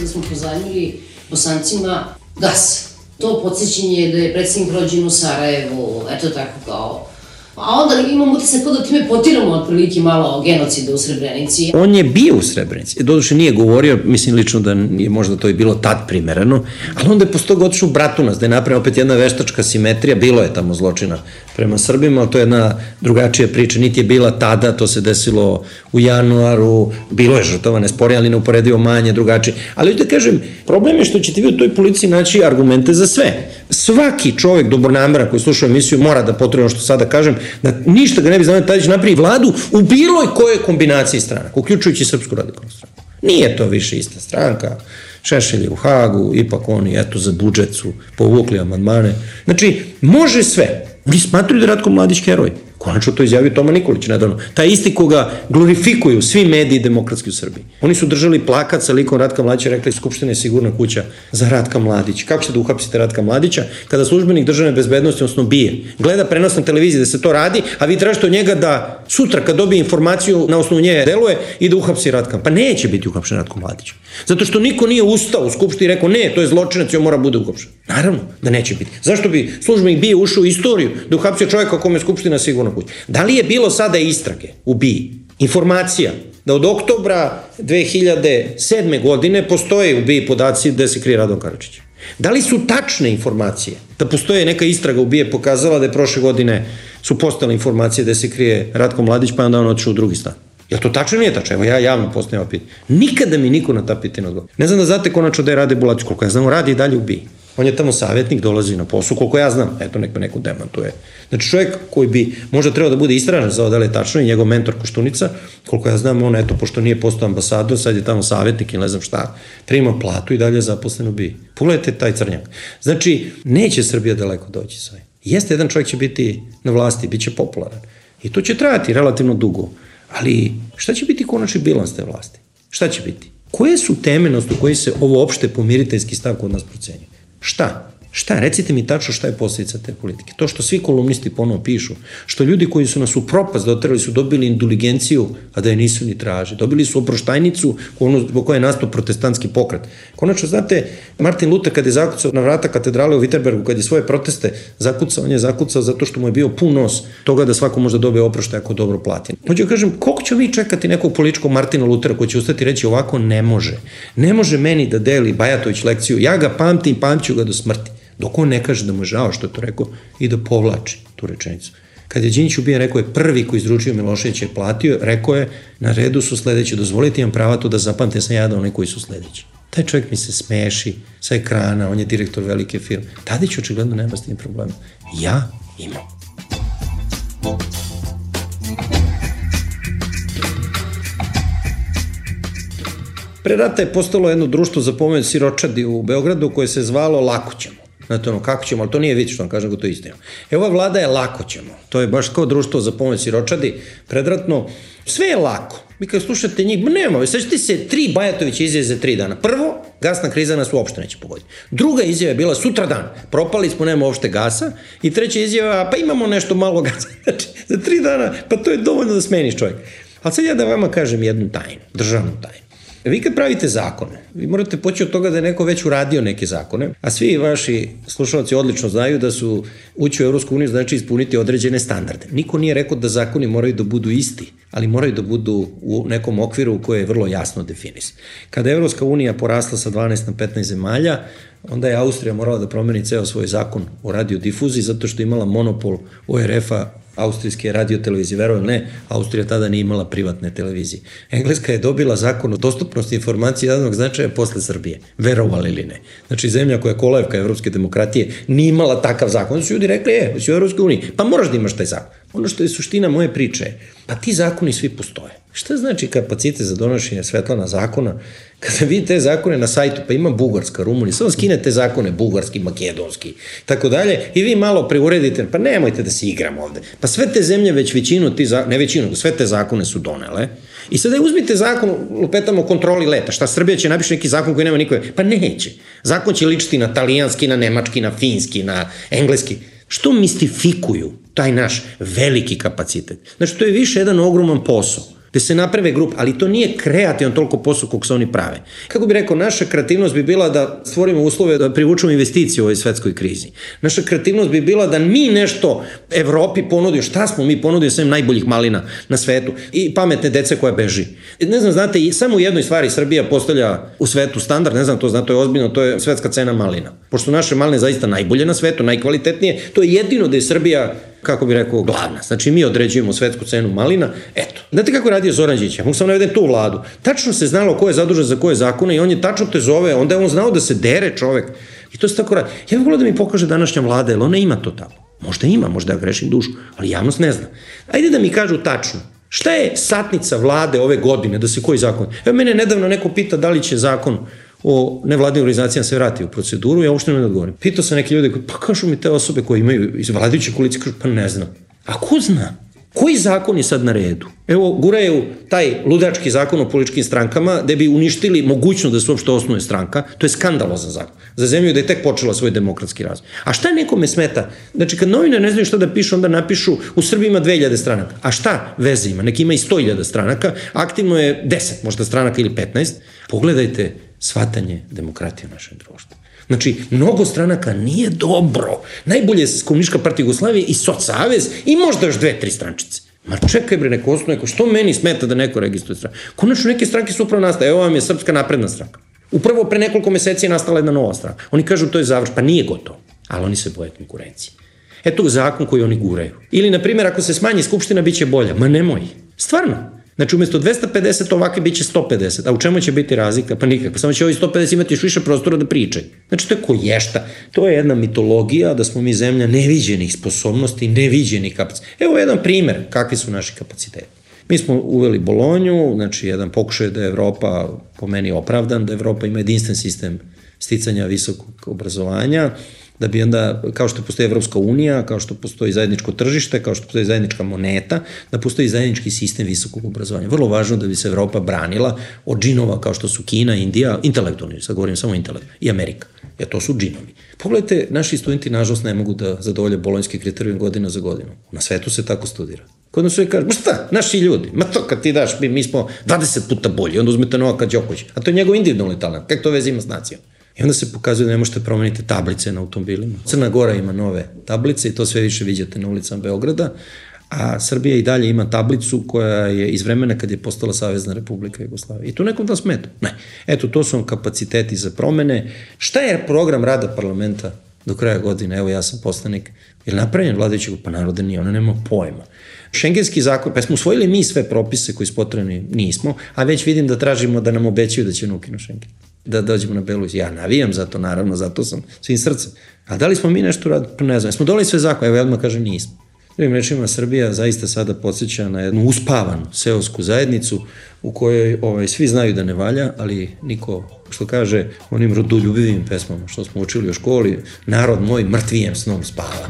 Da smo pozajmili Bosancima gas. To podsjećenje da je predsjednik rođen u Sarajevu, eto tako kao. A onda imam utisak kao da time potiramo otprilike malo genocida u Srebrenici. On je bio u Srebrenici. Doduše nije govorio, mislim lično da je možda to i bilo tad primereno, ali onda je posto toga otišao u Bratunac, da je napravio opet jedna veštačka simetrija, bilo je tamo zločina prema Srbima, ali to je jedna drugačija priča, niti je bila tada, to se desilo u januaru, bilo je žrtava, ne spori, ali neuporedivo manje, drugačije. Ali da kažem, problem je što ćete vi u toj policiji naći argumente za sve. Svaki čovjek dobronameran koji sluša emisiju mora da potrebuje ono što sada kažem, da ništa ga ne bi znao Tadić napravi vladu u bilo kojoj kombinaciji stranaka, uključujući Srpsku radikalnu stranku. Nije to više ista stranka, Šešelj je u Hagu, ipak oni, eto, za budžet su povukli amandmane. Znači, može sve. Oni smatruju da je Ratko Mladić heroj. Konačno to izjavio Toma Nikolić nedavno. Taj isti koga glorifikuju svi mediji demokratski u Srbiji. Oni su držali plakat sa likom Ratka Mladića, rekli Skupština je sigurna kuća za Ratka Mladića. Kako ćete da uhapsite Ratka Mladića kada službenik državne bezbednosti, odnosno bije, gleda prenos na televiziji da se to radi, a vi tražite od njega da sutra kad dobije informaciju na osnovu nje deluje i da uhapsi Ratka. Pa neće biti uhapšen Ratko Mladić. Zato što niko nije ustao u Skupštini i rekao ne, to je zločinac i on mora bude uhapšen. Naravno da neće biti. Zašto bi službenik bije ušao u istoriju da uhapsio čovjeka kome je Skupština sigurna kuća? Da li je bilo sada istrage u B I A? Informacija da od oktobra dve hiljade sedme. godine postoje u B I A podaci gde se krije Radon Karadžić? Da li su tačne informacije da postoje neka istraga u B I A pokazala da je prošle godine su postale informacije da se krije Ratko Mladić pa onda on otišao u drugi stan? Jel to tačno nije tačno? Evo ja javno postavljam pitanje. Nikada mi niko na ta pitanja odgovara. Ne znam da znate konačno da je Rade Bulatović, koliko ja znam, radi i dalje u B I. On je tamo savjetnik, dolazi na posao, koliko ja znam. Eto, nek me neko demantuje. Znači čovjek koji bi možda trebao da bude istražen za ovo da li je tačno i njegov mentor Koštunica, koliko ja znam, on eto, pošto nije postao ambasador, sad je tamo savjetnik ili ne znam šta, prima platu i dalje je zaposlen u B I. Pogledajte taj crnjak. Znači, neće Srbija daleko doći sa ovim. Jeste, jedan čovjek će biti na vlasti, bit će popularan. I to će trajati relativno dugo. Ali šta će biti konačni bilans te vlasti? Šta će biti? Koje su teme na osnovu koji se ovo opšte pomiriteljski stav kod nas procenjuje? Šta? Šta? Recite mi tačno šta je posljedica te politike. To što svi kolumnisti ponovo pišu, što ljudi koji su nas u propast doterali su dobili indulgenciju, a da je nisu ni traži. Dobili su oproštajnicu zbog koje je nastao protestantski pokret. Konačno, znate, Martin Luther kad je zakucao na vrata katedrale u Wittenbergu, kad je svoje proteste zakucao, on je zakucao zato što mu je bio pun nos toga da svako možda dobije oproštaj ako dobro plati. Hoću da kažem, koliko ćemo mi čekati nekog političkog Martina Luthera koji će ustati i reći ovako ne može. Ne može meni da deli Bajatović lekciju, ja ga pamtim, pamću ga do smrti. Dok on ne kaže da mu je žao što je to rekao i da povlači tu rečenicu. Kad je Đinđić ubijen, rekao je prvi koji izručio Miloševića je platio, rekao je na redu su sledeći, dozvolite imam prava to da zapamte sam ja da oni koji su sledeći. Taj čovjek mi se smeši sa ekrana, on je direktor velike firme. Tadić očigledno nema s tim problema. Ja imam. Pre rata je postalo jedno društvo za pomoć siročadi u Beogradu koje se zvalo Lako ćemo. Znate ono, kako ćemo, ali to nije vidjeti što vam kažem, to je istina. E, ova vlada je Lako ćemo. To je baš kao društvo za pomoć siročadi, predratno. Sve je lako. Vi kad slušate njih, nema, svećate se tri Bajatovića izjave za tri dana. Prvo, gasna kriza nas uopšte neće pogoditi. Druga izjava je bila sutra dan. Propali smo, nema uopšte gasa. I treća izjava, pa imamo nešto malo gasa. Znači, za tri dana, pa to je dovoljno da smeniš čovjek. Ali sad ja da vama kažem jednu tajnu, državnu tajnu. Vi kad pravite zakone, vi morate poći od toga da je neko već uradio neke zakone, a svi vaši slušalci odlično znaju da su ući u Evropsku uniju znači ispuniti određene standarde. Niko nije rekao da zakoni moraju da budu isti, ali moraju da budu u nekom okviru koji je vrlo jasno definisan. Kada je Evropska unija porasla sa dvanaest na petnaest zemalja, onda je Austrija morala da promeni ceo svoj zakon o radiodifuziji zato što je imala monopol O R F-a austrijske radiotelevizije, verujem ne, Austrija tada nije imala privatne televizije. Engleska je dobila zakon o dostupnosti informacije jednog značaja posle Srbije, verovali ili ne. Znači, zemlja koja je kolevka evropske demokratije nije imala takav zakon. Onda su ljudi rekli, e, si u Evropskoj uniji, pa moraš da imaš taj zakon. Ono što je suština moje priče je, pa ti zakoni svi postoje. Šta znači kapacitet za donošenje Svetlana zakona? Kada vidite te zakone na sajtu, pa ima Bugarska, Rumunija, samo skinete zakone bugarski, makedonski, tako dalje, i vi malo preuredite, pa nemojte da se igramo ovde. Pa sve te zemlje već većinu, ti zakone, ne većinu, sve te zakone su donele. I sada uzmite zakon, lupetamo o kontroli leta. Šta, Srbija će napiši neki zakon koji nema nikove? Pa neće. Zakon će ličiti na talijanski, na nemački, na finski, na engleski. Što mistifikuju taj naš veliki kapacitet? Znači, to je više jedan ogroman posao, gde se naprave grupe, ali to nije kreativan toliko posao kog se oni prave. Kako bi rekao, naša kreativnost bi bila da stvorimo uslove da privučemo investicije u ovoj svetskoj krizi. Naša kreativnost bi bila da mi nešto Evropi ponudio, šta smo mi ponudio svem najboljih malina na svetu i pametne dece koja beži. Ne znam, znate, samo u jednoj stvari Srbija postavlja u svetu standard, ne znam to, znate, to je ozbiljno, to je svetska cena malina. Pošto naše maline zaista najbolje na svetu, najkvalitetnije, to je jedino da je Srbija, kako bi rekao, glavna. Znači, mi određujemo svetsku cenu malina, eto. Znate kako je radio Zoran Đinđić? Ja mogu sam navedem tu vladu. Tačno se znalo ko je zadužen za koje zakone i on je tačno te zove, onda je on znao da se dere čovek. I to se tako radi. Ja bih volio da mi pokaže današnja vlada, jer ona ima to tako. Možda ima, možda ja grešim dušu, ali javnost ne zna. Ajde da mi kažu tačno. Šta je satnica vlade ove godine, da se koji zakon? Evo, mene nedavno neko pita da li će zakon o nevladnim organizacijama se vrati u proceduru, ja uopšte ne odgovorim. Pitao sam neke ljude, pa kažu mi te osobe koje imaju iz vladajuće koalicije, kažu, pa ne znam. A ko zna? Koji zakon je sad na redu? Evo, guraju taj ludački zakon o političkim strankama gde bi uništili mogućnost da se uopšte osnuje stranka. To je skandalozan zakon. Za zemlju da je tek počela svoj demokratski razvoj. A šta nekome smeta? Znači, kad novinar ne znaju šta da pišu, onda napišu u Srbiji ima dve hiljade stranaka. A šta veze ima? Neki ima i sto hiljada stranaka. Aktivno je deset možda stranaka ili petnaest. Pogledajte shvatanje demokratije u našem društvu. Znači, mnogo stranaka nije dobro. Najbolje je Komunistička partija Jugoslavije i Socsavez i možda još dve, tri strančice. Ma čekaj bre, neko osnovu, neko, što meni smeta da neko registruje stranke? Konačno neke stranke su upravo nastale. Evo vam je Srpska napredna stranka. Upravo pre nekoliko meseci je nastala jedna nova stranka. Oni kažu to je završ, pa nije gotovo. Ali oni se boje konkurencije. Eto zakon koji oni guraju. Ili, na primjer, ako se smanji skupština, bit će bolja. Ma nemoj. Stvarno. Znači, umjesto dvesta pedeset ovake bit će sto pedeset. A u čemu će biti razlika? Pa nikakva. Samo će ovi sto pedeset imati još više prostora da pričaju. Znači, to je koješta. To je jedna mitologija da smo mi zemlja neviđenih sposobnosti, neviđenih kapaciteta. Evo jedan primer kakvi su naši kapaciteti. Mi smo uveli Bolonju, znači jedan pokušaj da je Evropa, po meni opravdan, da Evropa ima jedinstven sistem sticanja visokog obrazovanja, da bi onda, kao što postoji Evropska unija, kao što postoji zajedničko tržište, kao što postoji zajednička moneta, da postoji zajednički sistem visokog obrazovanja. Vrlo važno da bi se Evropa branila od džinova kao što su Kina, Indija, intelektualni, sad govorim samo intelekt, i Amerika, jer to su džinovi. Pogledajte, naši studenti nažalost ne mogu da zadovolje bolonjski kriterijum godina za godinu. Na svetu se tako studira. Kod nas uvijek kaže, ma šta, naši ljudi, ma to kad ti daš, mi, mi smo dvadeset puta bolji, onda uzmete Novaka Đokovića, a to je njegov individualni talent, kako to veze ima s nacijom? I onda se pokazuje da ne možete promeniti tablice na automobilima. Crna Gora ima nove tablice i to sve više vidite na ulicama Beograda, a Srbija i dalje ima tablicu koja je iz vremena kad je postala Savezna Republika Jugoslavija. I to nekom da smeta. Ne. Eto, to su vam kapaciteti za promene. Šta je program rada parlamenta do kraja godine? Evo, ja sam poslanik. Je li napravljen vladajućeg? Pa narode nije, ona nema pojma. Šengenski zakon, pa smo usvojili mi sve propise koji su potrebni, nismo, a već vidim da tražimo da nam obećaju da će ukinu Šengen. Da dođemo na belu. Ja navijam za to, naravno, zato sam svim srcem. A da li smo mi nešto radili? Pa ne znam. Smo doneli sve zakone, evo ja odmah kažem nismo. Drugim rečima, Srbija zaista sada podsjeća na jednu uspavanu seosku zajednicu u kojoj ovaj, svi znaju da ne valja, ali niko, što kaže onim rodoljubivim pesmama što smo učili u školi, narod moj mrtvijem snom spava.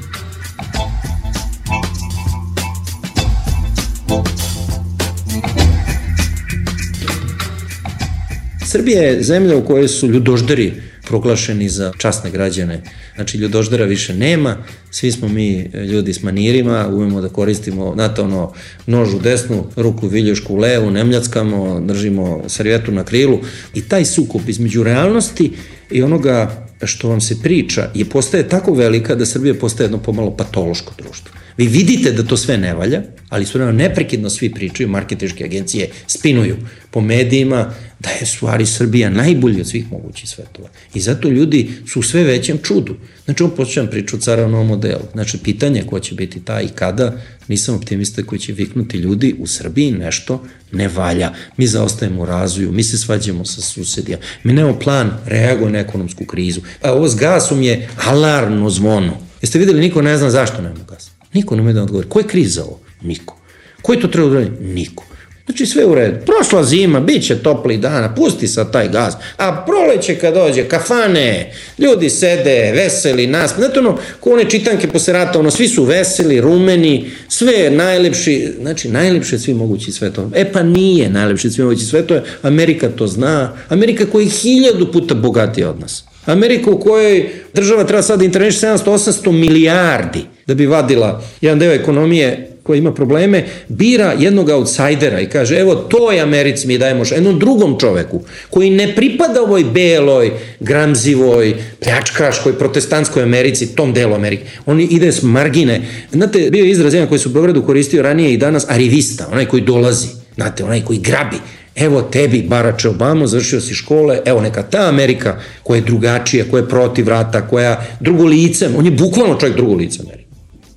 Srbija je zemlja u kojoj su ljudožderi proglašeni za časne građane. Znači, ljudoždera više nema, svi smo mi ljudi s manirima, umemo da koristimo, znate, ono, nož u desnu, ruku viljušku u levu, ne mljackamo, držimo servijetu na krilu i taj sukob između realnosti i onoga što vam se priča je postaje tako velika da Srbija postaje jedno pomalo patološko društvo. Vi vidite da to sve ne valja, ali su neprekidno svi pričaju, marketinške agencije spinuju po medijima da je stvari Srbija najbolji od svih mogućih svetova. I zato ljudi su u sve većem čudu. Znači, on počećam priču o caravnom modelu. Znači, pitanje ko će biti ta i kada, nisam optimista koji će viknuti ljudi u Srbiji nešto ne valja. Mi zaostajemo u razvoju, mi se svađamo sa susedima, mi nemamo plan reaguje na ekonomsku krizu. A ovo s gasom je alarmno zvono. Jeste videli, niko ne zna zašto nemamo gas. Niko ne može da odgovori. Ko je kriz za ovo? Niko. Ko je to treba odgovoriti? Niko. Znači sve u redu. Prošla zima, bit će topli dana, pusti sad taj gaz. A proleće kad dođe, kafane, ljudi sede, veseli, nas. Znate ono, ko one čitanke posle rata, ono, svi su veseli, rumeni, sve najlepši, znači najlepši od svih mogućih svetova. E pa nije najlepši od svih mogućih svetova, Amerika to zna. Amerika koja je hiljadu puta bogatija od nas. Amerika u kojoj država treba sad da interveniše sedamsto osamsto milijardi da bi vadila jedan deo ekonomije koja ima probleme, bira jednog outsidera i kaže, evo toj Americi mi dajemo jednom drugom čoveku koji ne pripada ovoj beloj, gramzivoj, pljačkaškoj, protestantskoj Americi, tom delu Amerike. On ide s margine. Znate, bio je izraz jedan koji su u Beogradu koristio ranije i danas, arivista, onaj koji dolazi, znate, onaj koji grabi. Evo tebi, Barače Obama, završio si škole, evo neka ta Amerika koja je drugačija, koja je protiv rata, koja drugo lice, on je bukvalno čovjek drugo lice Amerike.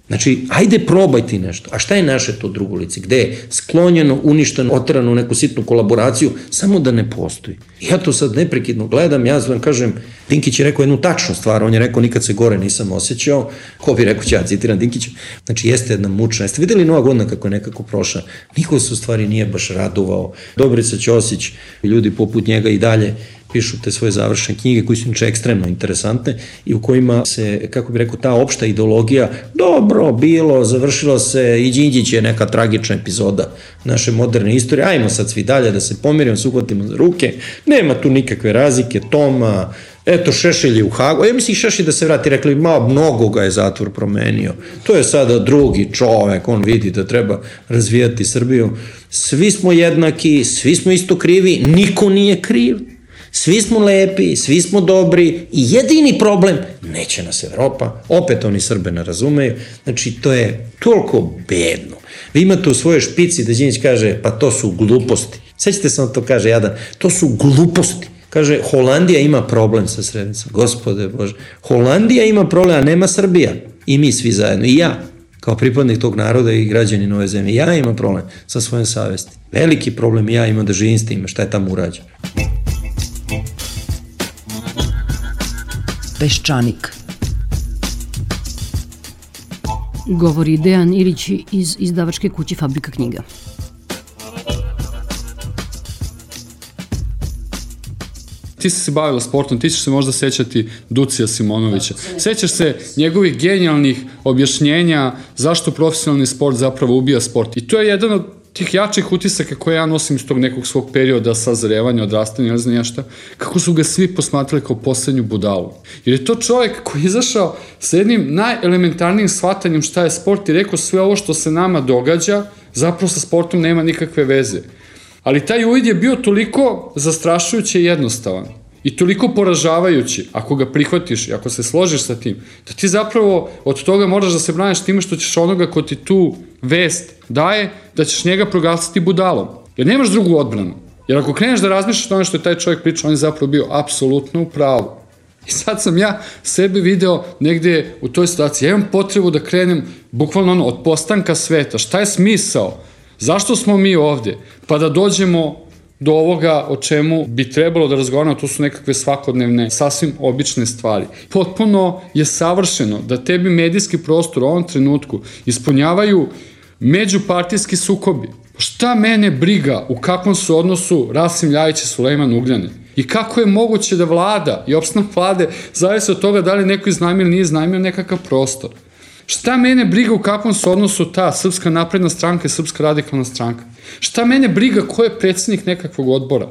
Znači, ajde probaj ti nešto. A šta je naše to drugo lice? Gde je sklonjeno, uništeno, oterano u neku sitnu kolaboraciju, samo da ne postoji. Ja to sad neprekidno gledam, ja vam kažem, Dinkić je rekao jednu tačnu stvar, on je rekao nikad se gore nisam osjećao, ko bi rekao, ja citiram Dinkića, znači jeste jedna mučna, jeste videli Nova godina kako je nekako prošla, niko se u stvari nije baš radovao, Dobrica Ćosić, ljudi poput njega i dalje pišu te svoje završene knjige koji su inače ekstremno interesantne i u kojima se, kako bi rekao, ta opšta ideologija, dobro, bilo, završilo se, i Đinđić je neka tragična epizoda naše moderne istorije, ajmo sad svi dalje da se pomirimo, se uhvatimo za ruke, nema tu nikakve razlike, Toma, eto Šešelj je u Hagu, ja mislim Šešelj da se vrati, rekli, ma, mnogo ga je zatvor promenio, to je sada drugi čovek, on vidi da treba razvijati Srbiju, svi smo jednaki, svi smo isto krivi, niko nije kriv, svi smo lepi, svi smo dobri i jedini problem, neće nas Evropa, opet oni Srbe ne razumeju, znači to je toliko bedno. Vi imate u svojoj špici da Đinđić kaže, pa to su gluposti. Sećate se on to kaže jadan, to su gluposti. Kaže, Holandija ima problem sa Srebrnicom. Gospode Bože, Holandija ima problem, a nema Srbija. I mi svi zajedno, i ja. kao pripadnik tog naroda i građanin ove zemlje. Ja imam problem sa svojom savesti. Veliki problem ja imam da živim s tim, šta je tamo urađeno. Peščanik. Govori Dejan Ilić iz izdavačke kuće Fabrika knjiga. Ti si se bavila sportom, ti ćeš se možda sećati Ducija Simonovića. Sećaš se njegovih genijalnih objašnjenja zašto profesionalni sport zapravo ubija sport. I to je jedan od tih jačih utisaka koje ja nosim iz tog nekog svog perioda sazrevanja, odrastanja, ne znam ja šta, kako su ga svi posmatrali kao poslednju budalu. Jer je to čovjek koji je izašao sa jednim najelementarnijim shvatanjem šta je sport i rekao sve ovo što se nama događa, zapravo sa sportom nema nikakve veze. Ali taj uvid je bio toliko zastrašujuće i jednostavan i toliko poražavajući, ako ga prihvatiš i ako se složiš sa tim, da ti zapravo od toga moraš da se braniš time što ćeš onoga ko ti tu vest daje, da ćeš njega proglasiti budalom. Jer nemaš drugu odbranu. Jer ako kreneš da razmišljaš ono što je taj čovjek pričao, on je zapravo bio apsolutno u pravu. I sad sam ja sebe video negde u toj situaciji. Ja imam potrebu da krenem bukvalno ono, od postanka sveta. Šta je smisao? Zašto smo mi ovde? Pa da dođemo do ovoga o čemu bi trebalo da razgovaramo, to su nekakve svakodnevne, sasvim obične stvari. Potpuno je savršeno da tebi medijski prostor u ovom trenutku ispunjavaju međupartijski sukobi. Šta mene briga u kakvom su odnosu Rasim Ljajić i Sulejman Ugljanin? I kako je moguće da vlada i opstanak vlade zavisi od toga da li neko iznajmio ili nije iznajmio nekakav prostor? Šta mene briga u kakvom su odnosu ta Srpska napredna stranka i Srpska radikalna stranka? Šta mene briga ko je predsjednik nekakvog odbora?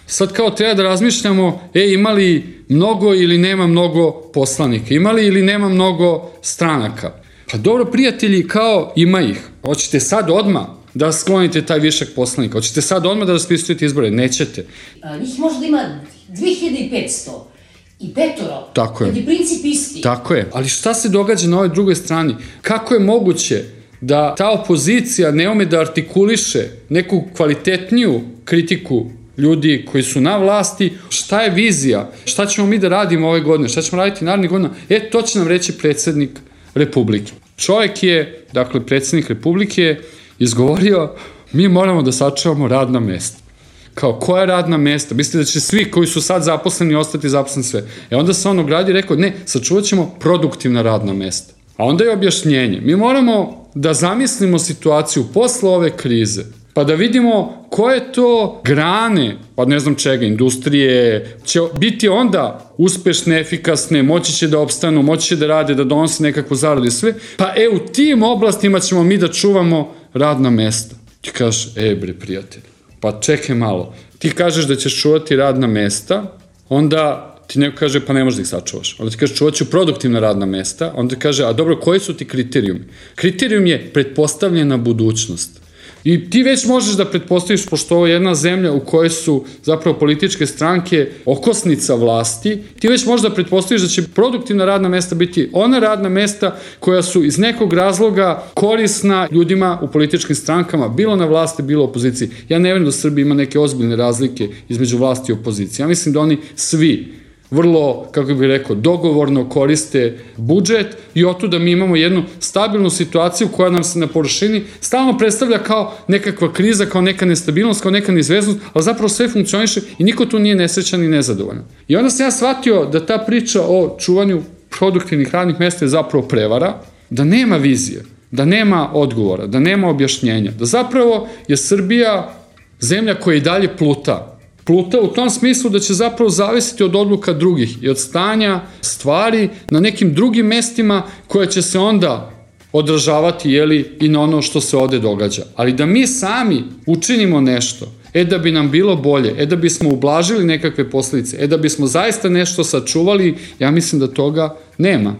Sad kao treba da razmišljamo, e, ima li mnogo ili nema mnogo poslanika? Ima li ili nema mnogo stranaka? Pa dobro, prijatelji, kao ima ih. Hoćete sad odmah da sklonite taj višak poslanika? Hoćete sad odmah da raspisujete izbore? Nećete. A, njih možda ima dve hiljade petsto. I petoro. Tako je. Kad je princip isti. Tako je. Ali šta se događa na ovoj drugoj strani? Kako je moguće da ta opozicija ne ume da artikuliše neku kvalitetniju kritiku ljudi koji su na vlasti? Šta je vizija? Šta ćemo mi da radimo ove godine? Šta ćemo raditi narednih godina? E, to će nam reći predsjednik Republike. Čovjek je, dakle, predsjednik Republike izgovorio, mi moramo da sačuvamo radna mesta. Kao, koja radna mesta? Mislite da će svi koji su sad zaposleni ostati zaposleni sve? E onda se on ogradio i rekao, ne, sačuvat ćemo produktivna radna mesta. A onda je objašnjenje. Mi moramo da zamislimo situaciju posle ove krize, pa da vidimo koje to grane, pa ne znam čega, industrije, će biti onda uspešne, efikasne, moći će da opstanu, moći će da rade, da donose nekakvu zaradu i sve, pa e, u tim oblastima ćemo mi da čuvamo radna mesta. Ti kažeš, e bre, prijatelj, pa čekaj malo, ti kažeš da ćeš čuvati radna mesta, onda ti neko kaže, pa ne možeš da ih sačuvaš. Onda ti kaže, čuvat ću produktivna radna mesta, onda ti kaže, a dobro, koji su ti kriterijumi? Kriterijum je pretpostavljena budućnost. I ti već možeš da pretpostaviš, pošto ovo je jedna zemlja u kojoj su zapravo političke stranke okosnica vlasti, ti već možeš da pretpostaviš da će produktivna radna mesta biti ona radna mesta koja su iz nekog razloga korisna ljudima u političkim strankama, bilo na vlasti, bilo u opoziciji. Ja ne vjerujem da u Srbiji ima neke ozbiljne razlike između vlasti i opozicije. Ja mislim da oni svi vrlo, kako bih rekao, dogovorno koriste budžet i otuda mi imamo jednu stabilnu situaciju koja nam se na površini stalno predstavlja kao nekakva kriza, kao neka nestabilnost, kao neka neizvesnost, ali zapravo sve funkcioniše i niko tu nije nesrećan i nezadovoljan. I onda sam ja shvatio da ta priča o čuvanju produktivnih radnih mesta je zapravo prevara, da nema vizije, da nema odgovora, da nema objašnjenja, da zapravo je Srbija zemlja koja i dalje pluta. Pluta u tom smislu da će zapravo zavisiti od odluka drugih i od stanja stvari na nekim drugim mestima koje će se onda odražavati, jeli, i na ono što se ovde događa. Ali da mi sami učinimo nešto, e da bi nam bilo bolje, e da bismo ublažili nekakve posljedice, e da bismo zaista nešto sačuvali, ja mislim da toga nema.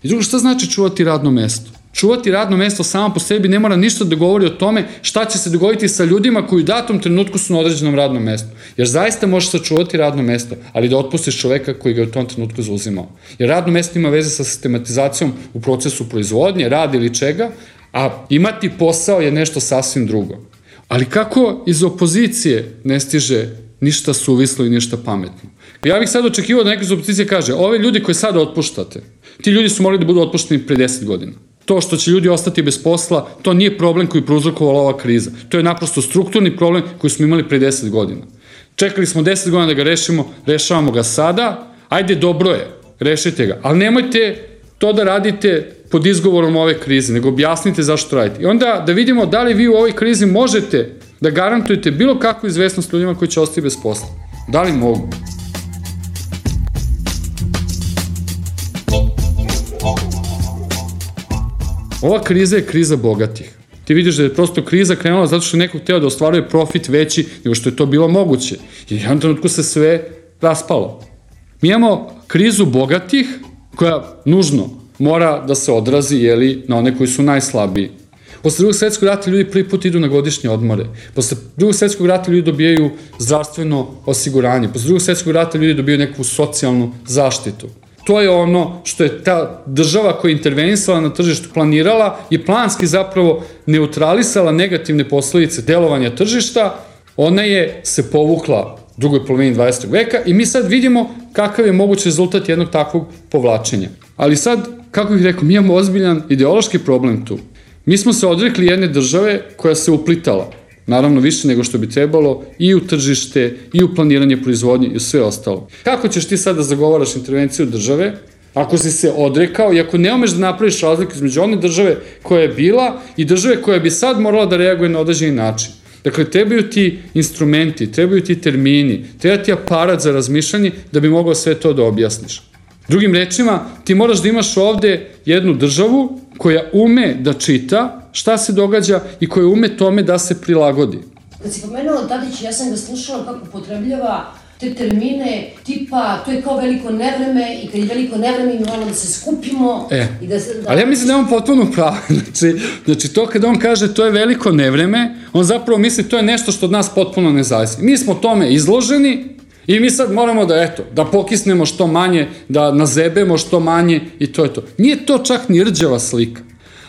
I drugo, šta znači čuvati radno mesto? Čuvati radno mesto samo po sebi ne mora ništa da govori o tome šta će se dogoditi sa ljudima koji u datom trenutku su na određenom radnom mestu. Jer zaista možeš sačuvati radno mesto, ali da otpustiš čoveka koji ga je u tom trenutku zauzimao. Jer radno mesto ima veze sa sistematizacijom u procesu proizvodnje, rada ili čega, a imati posao je nešto sasvim drugo. Ali kako iz opozicije ne stiže ništa suvislo i ništa pametno? Ja bih sad očekivao da neko iz opozicije kaže, ove ljudi koje sada otpuštate, ti ljudi su morali da budu otpušteni pre deset godina. To što će ljudi ostati bez posla, to nije problem koji je prouzrokovala ova kriza. To je naprosto strukturni problem koji smo imali pre deset godina. Čekali smo deset godina da ga rešimo, rešavamo ga sada, ajde dobro je, rešite ga, ali nemojte to da radite pod izgovorom ove krize, nego objasnite zašto radite. I onda da vidimo da li vi u ovoj krizi možete da garantujete bilo kakvu izvesnost ljudima koji će ostati bez posla. Da li mogu? Ova kriza je kriza bogatih. Ti vidiš da je prosto kriza krenula zato što je neko hteo da ostvaruje profit veći nego što je to bilo moguće. I u jednom trenutku se sve raspalo. Mi imamo krizu bogatih koja nužno mora da se odrazi, jeli, na one koji su najslabiji. Posle drugog svetskog rata ljudi prvi put idu na godišnje odmore. Posle drugog svetskog rata ljudi dobijaju zdravstveno osiguranje. Posle drugog svetskog rata ljudi dobijaju neku socijalnu zaštitu. To je ono što je ta država koja je intervenisala na tržištu planirala i planski zapravo neutralisala negativne posledice delovanja tržišta. Ona je se povukla u drugoj polovini dvadesetog veka i mi sad vidimo kakav je mogući rezultat jednog takvog povlačenja. Ali sad, kako bih rekao, mi imamo ozbiljan ideološki problem tu. Mi smo se odrekli jedne države koja se uplitala, naravno više nego što bi trebalo, i u tržište, i u planiranje proizvodnje i u sve ostalo. Kako ćeš ti sad da zagovaraš intervenciju države, ako si se odrekao i ako ne umeš da napraviš razliku između one države koja je bila i države koja bi sad morala da reaguje na određeni način? Dakle, trebaju ti instrumenti, trebaju ti termini, treba ti aparat za razmišljanje da bi mogao sve to da objasniš. Drugim rečima, ti moraš da imaš ovde jednu državu koja ume da čita šta se događa i koja ume tome da se prilagodi. Kad si pomenuo Tadić, ja sam ga slušala kako upotrebljava te termine tipa to je kao veliko nevreme i kad je veliko nevreme mi moramo da se skupimo e, i da se... Da... Ali ja mislim da je on potpuno pravo. Znači, znači to kada on kaže to je veliko nevreme, on zapravo misli to je nešto što od nas potpuno ne zavisi. Mi smo tome izloženi i mi sad moramo da, eto, da pokisnemo što manje, da nazebemo što manje i to je to. Nije to čak ni rđava slika.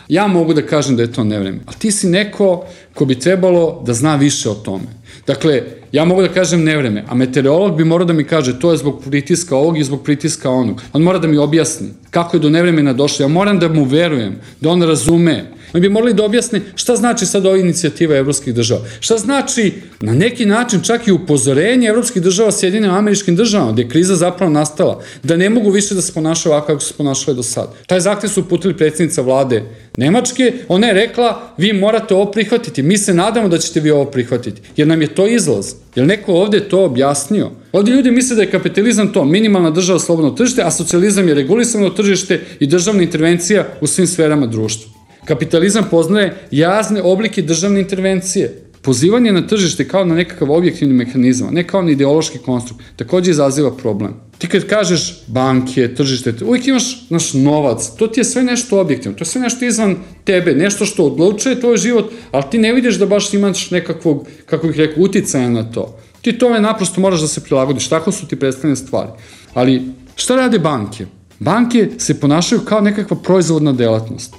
Ja mogu da kažem da je to nevreme, ali ti si neko ko bi trebalo da zna više o tome. Dakle, ja mogu da kažem nevreme, a meteorolog bi morao da mi kaže to je zbog pritiska ovog i zbog pritiska onog. On mora da mi objasni kako je do nevremena došlo. Ja moram da mu verujem, da on razume. Oni bi morali da objasne šta znači sad ova inicijativa evropskih država. Šta znači na neki način čak i upozorenje evropskih država Sjedinjenim Američkim Državama, gde je kriza zapravo nastala, da ne mogu više da se ponašaju ovako kako su se ponašali do sada. Taj zahtev su uputili predsjednica vlade Nemačke, ona je rekla vi morate ovo prihvatiti, mi se nadamo da ćete vi ovo prihvatiti, jer nam je to izlaz. Jer neko ovde to objasnio? Ovde ljudi misle da je kapitalizam to, minimalna država, slobodno tržište, a socijalizam je regulisano tržište i državna intervencija u svim sferama društva. Kapitalizam poznaje jazne oblike državne intervencije. Pozivanje na tržište kao na nekakav objektivni mehanizam, ne kao na ideološki konstrukt, takođe izaziva problem. Ti kad kažeš banke, tržište, uvijek imaš naš novac, to ti je sve nešto objektivno, to je sve nešto izvan tebe, nešto što odlučuje tvoj život, ali ti ne vidiš da baš imaš nekakvog, kako bih rekao, uticaja na to. Ti tome naprosto moraš da se prilagodiš, tako su ti predstavljene stvari. Ali šta rade banke? Banke se ponašaju kao nekakva proizvodna delatnost.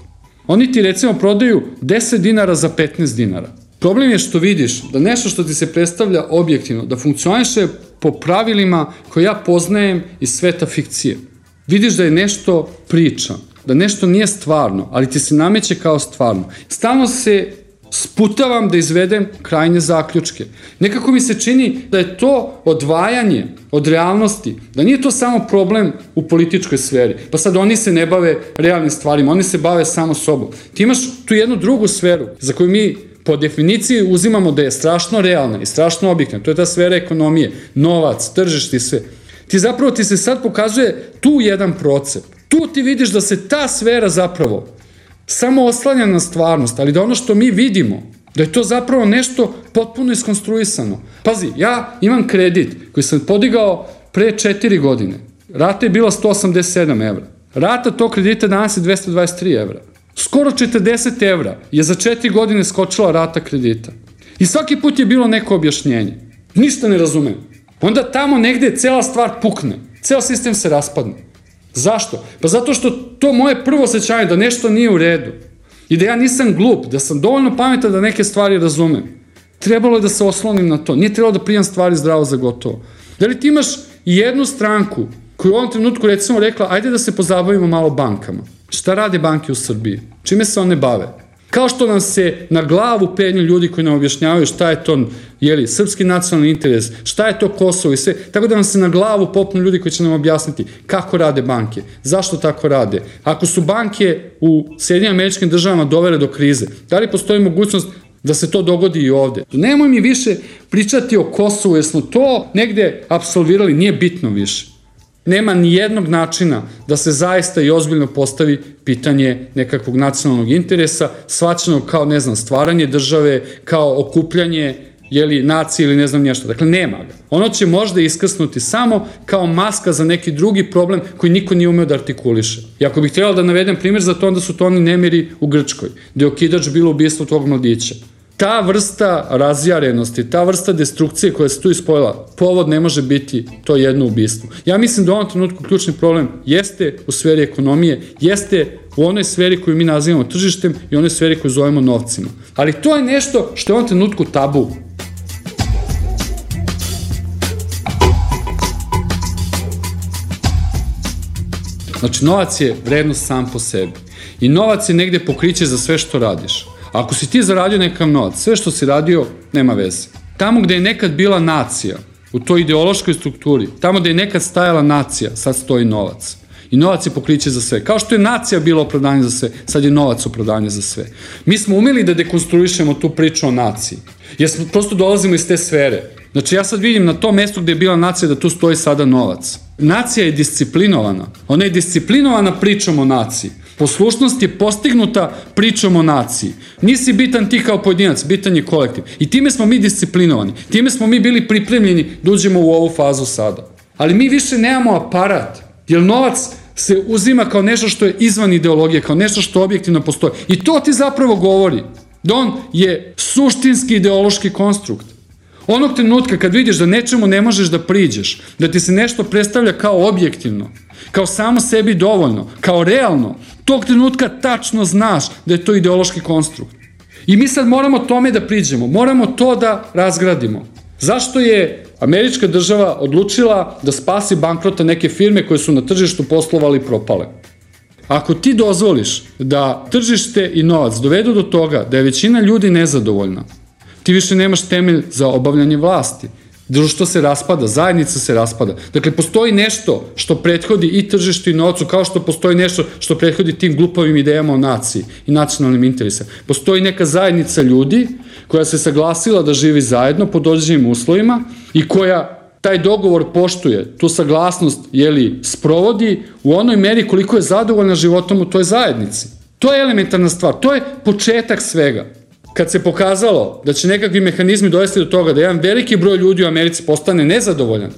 Oni ti recimo prodaju deset dinara za petnaest dinara. Problem je što vidiš da nešto što ti se predstavlja objektivno, da funkcioniše po pravilima koje ja poznajem iz sveta fikcije. Vidiš da je nešto priča, da nešto nije stvarno, ali ti se nameće kao stvarno. Stalno se sputavam da izvedem krajnje zaključke. Nekako mi se čini da je to odvajanje od realnosti, da nije to samo problem u političkoj sferi. Pa sad oni se ne bave realnim stvarima, oni se bave samo sobom. Ti imaš tu jednu drugu sferu za koju mi po definiciji uzimamo da je strašno realna i strašno objektivna. To je ta sfera ekonomije, novac, tržište i sve. Ti zapravo ti se sad pokazuje tu jedan procep. Tu ti vidiš da se ta sfera zapravo samo oslanja na stvarnost, ali da ono što mi vidimo, da je to zapravo nešto potpuno iskonstruisano. Pazi, ja imam kredit koji sam podigao pre četiri godine. Rata je bila sto osamdeset sedam evra. Rata tog kredita danas je dvesta dvadeset tri evra. Skoro četrdeset evra je za četiri godine skočila rata kredita. I svaki put je bilo neko objašnjenje. Ništa ne razumem. Onda tamo negde cela stvar pukne. Ceo sistem se raspadne. Zašto? Pa zato što to moje prvo osjećanje da nešto nije u redu i da ja nisam glup, da sam dovoljno pametan da neke stvari razumem. Trebalo je da se oslonim na to. Nije trebalo da prijam stvari zdravo za gotovo. Da li ti imaš jednu stranku koju u ovom trenutku recimo rekla ajde da se pozabavimo malo bankama? Šta Šta rade banke u Srbiji? Čime se one bave? Kao što nam se na glavu penju ljudi koji nam objašnjavaju šta je to, jeli, srpski nacionalni interes, šta je to Kosovo i sve, tako da nam se na glavu popnu ljudi koji će nam objasniti kako rade banke, zašto tako rade. Ako su banke u Sjedinjenim Američkim Državama dovele do krize, da li postoji mogućnost da se to dogodi i ovde? Nemoj mi više pričati o Kosovu, jer smo to negde apsolvirali, nije bitno više. Nema ni jednog načina da se zaista i ozbiljno postavi pitanje nekakvog nacionalnog interesa, shvaćeno kao, ne znam, stvaranje države, kao okupljanje, jeli, nacije ili ne znam nešto. Dakle, nema ga. Ono će možda iskrsnuti samo kao maska za neki drugi problem koji niko nije umeo da artikuliše. I ako bih trebalo da navedem primjer za to, onda su to oni nemiri u Grčkoj, gde je okidač bilo ubistvo tog mladića. Ta vrsta razjarenosti, ta vrsta destrukcije koja se tu ispojila, povod ne može biti to jedno ubistvo. Ja mislim da u ovom trenutku ključni problem jeste u sferi ekonomije, jeste u onoj sferi koju mi nazivamo tržištem i onoj sferi koju zovemo novcima. Ali to je nešto što je u ovom trenutku tabu. Znači, novac je vrednost sam po sebi. I novac je negde pokriće za sve što radiš. Ako si ti zaradio nekakav novac, sve što si radio, nema veze. Tamo gde je nekad bila nacija, u toj ideološkoj strukturi, tamo gde je nekad stajala nacija, sad stoji novac. I novac je pokriće za sve. Kao što je nacija bila opravdanje za sve, sad je novac opravdanje za sve. Mi smo umeli da dekonstruišemo tu priču o naciji, jer smo, prosto dolazimo iz te sfere. Znači, ja sad vidim na tom mestu gde je bila nacija da tu stoji sada novac. Nacija je disciplinovana. Ona je disciplinovana pričom o naciji. Poslušnost je postignuta pričom o naciji. Nisi bitan ti kao pojedinac, bitan je kolektiv. I time smo mi disciplinovani. Time smo mi bili pripremljeni da uđemo u ovu fazu sada. Ali mi više nemamo aparat, jer novac se uzima kao nešto što je izvan ideologije, kao nešto što objektivno postoji. I to ti zapravo govori da on je suštinski ideološki konstrukt. Onog trenutka kad vidiš da nečemu ne možeš da priđeš, da ti se nešto predstavlja kao objektivno, kao samo sebi dovoljno, kao realno, tog trenutka tačno znaš da je to ideološki konstrukt. I mi sad moramo tome da priđemo, moramo to da razgradimo. Zašto je američka država odlučila da spasi bankrota neke firme koje su na tržištu poslovali i propale? Ako ti dozvoliš da tržište i novac dovedu do toga da je većina ljudi nezadovoljna, ti više nemaš temelj za obavljanje vlasti. Društvo se raspada, zajednica se raspada. Dakle, postoji nešto što prethodi i tržištu i novcu, kao što postoji nešto što prethodi tim glupavim idejama o naciji i nacionalnim interesima. Postoji neka zajednica ljudi koja se saglasila da živi zajedno pod određenim uslovima i koja taj dogovor poštuje, tu saglasnost, jeli, sprovodi u onoj meri koliko je zadovoljna životom u toj zajednici. To je elementarna stvar, to je početak svega. Kad se pokazalo da će nekakvi mehanizmi dovesti do toga da jedan veliki broj ljudi u Americi postane nezadovoljan,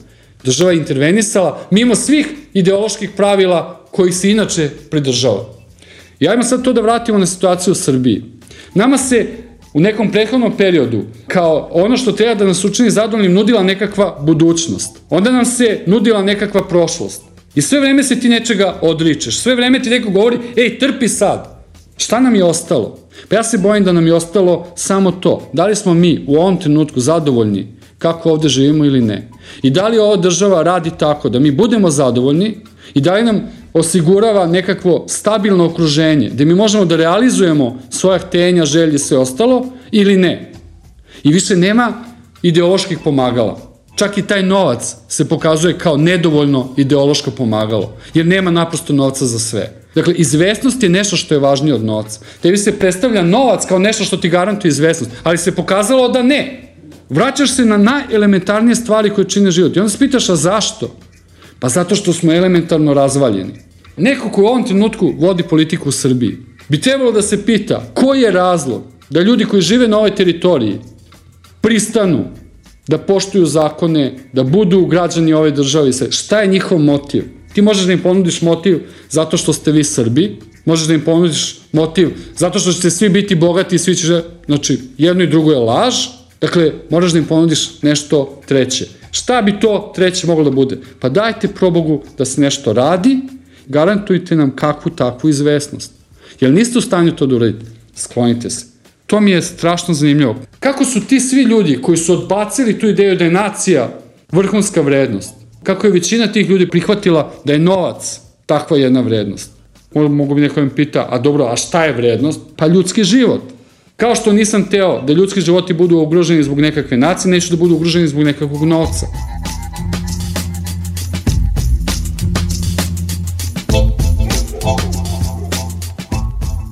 država je intervenisala mimo svih ideoloških pravila kojih se inače pridržava. I ajmo sad to da vratimo na situaciju u Srbiji. Nama se u nekom prethodnom periodu, kao ono što treba da nas učini zadovoljnim, nudila nekakva budućnost. Onda nam se nudila nekakva prošlost. I sve vreme se ti nečega odričeš. Sve vreme ti neko govori, ej, trpi sad. Šta nam je ostalo? Pa ja se bojim da nam je ostalo samo to. Da li smo mi u ovom trenutku zadovoljni kako ovde živimo ili ne? I da li ova država radi tako da mi budemo zadovoljni i da li nam osigurava nekakvo stabilno okruženje gde mi možemo da realizujemo svoja htenja, želje i sve ostalo ili ne? I više nema ideoloških pomagala. Čak i taj novac se pokazuje kao nedovoljno ideološko pomagalo, jer nema naprosto novca za sve. Dakle, izvesnost je nešto što je važnije od novca. Tebi se predstavlja novac kao nešto što ti garantuje izvesnost, ali se pokazalo da ne. Vraćaš se na najelementarnije stvari koje čine život. I onda se pitaš, a zašto? Pa zato što smo elementarno razvaljeni. Neko ko u ovom trenutku vodi politiku u Srbiji bi trebalo da se pita koji je razlog da ljudi koji žive na ovoj teritoriji pristanu da poštuju zakone, da budu građani ove države i sve. Šta je njihov motiv? Ti možeš da im ponudiš motiv zato što ste vi Srbi, možeš da im ponudiš motiv zato što ćete svi biti bogati i svi će, znači jedno i drugo je laž, dakle moraš da im ponudiš nešto treće. Šta bi to treće moglo da bude? Pa dajte probogu da se nešto radi, garantujte nam kakvu takvu izvesnost. Jer niste u stanju to da uradite, sklonite se. To mi je strašno zanimljivo. Kako su ti svi ljudi koji su odbacili tu ideju da je nacija vrhunska vrednost, kako je većina tih ljudi prihvatila da je novac takva jedna vrednost? Mogu bi neko mi pita, a dobro, a šta je vrednost? Pa ljudski život. Kao što nisam teo da ljudski životi budu ugroženi zbog nekakve nacije, neću da budu ugroženi zbog nekakvog novca.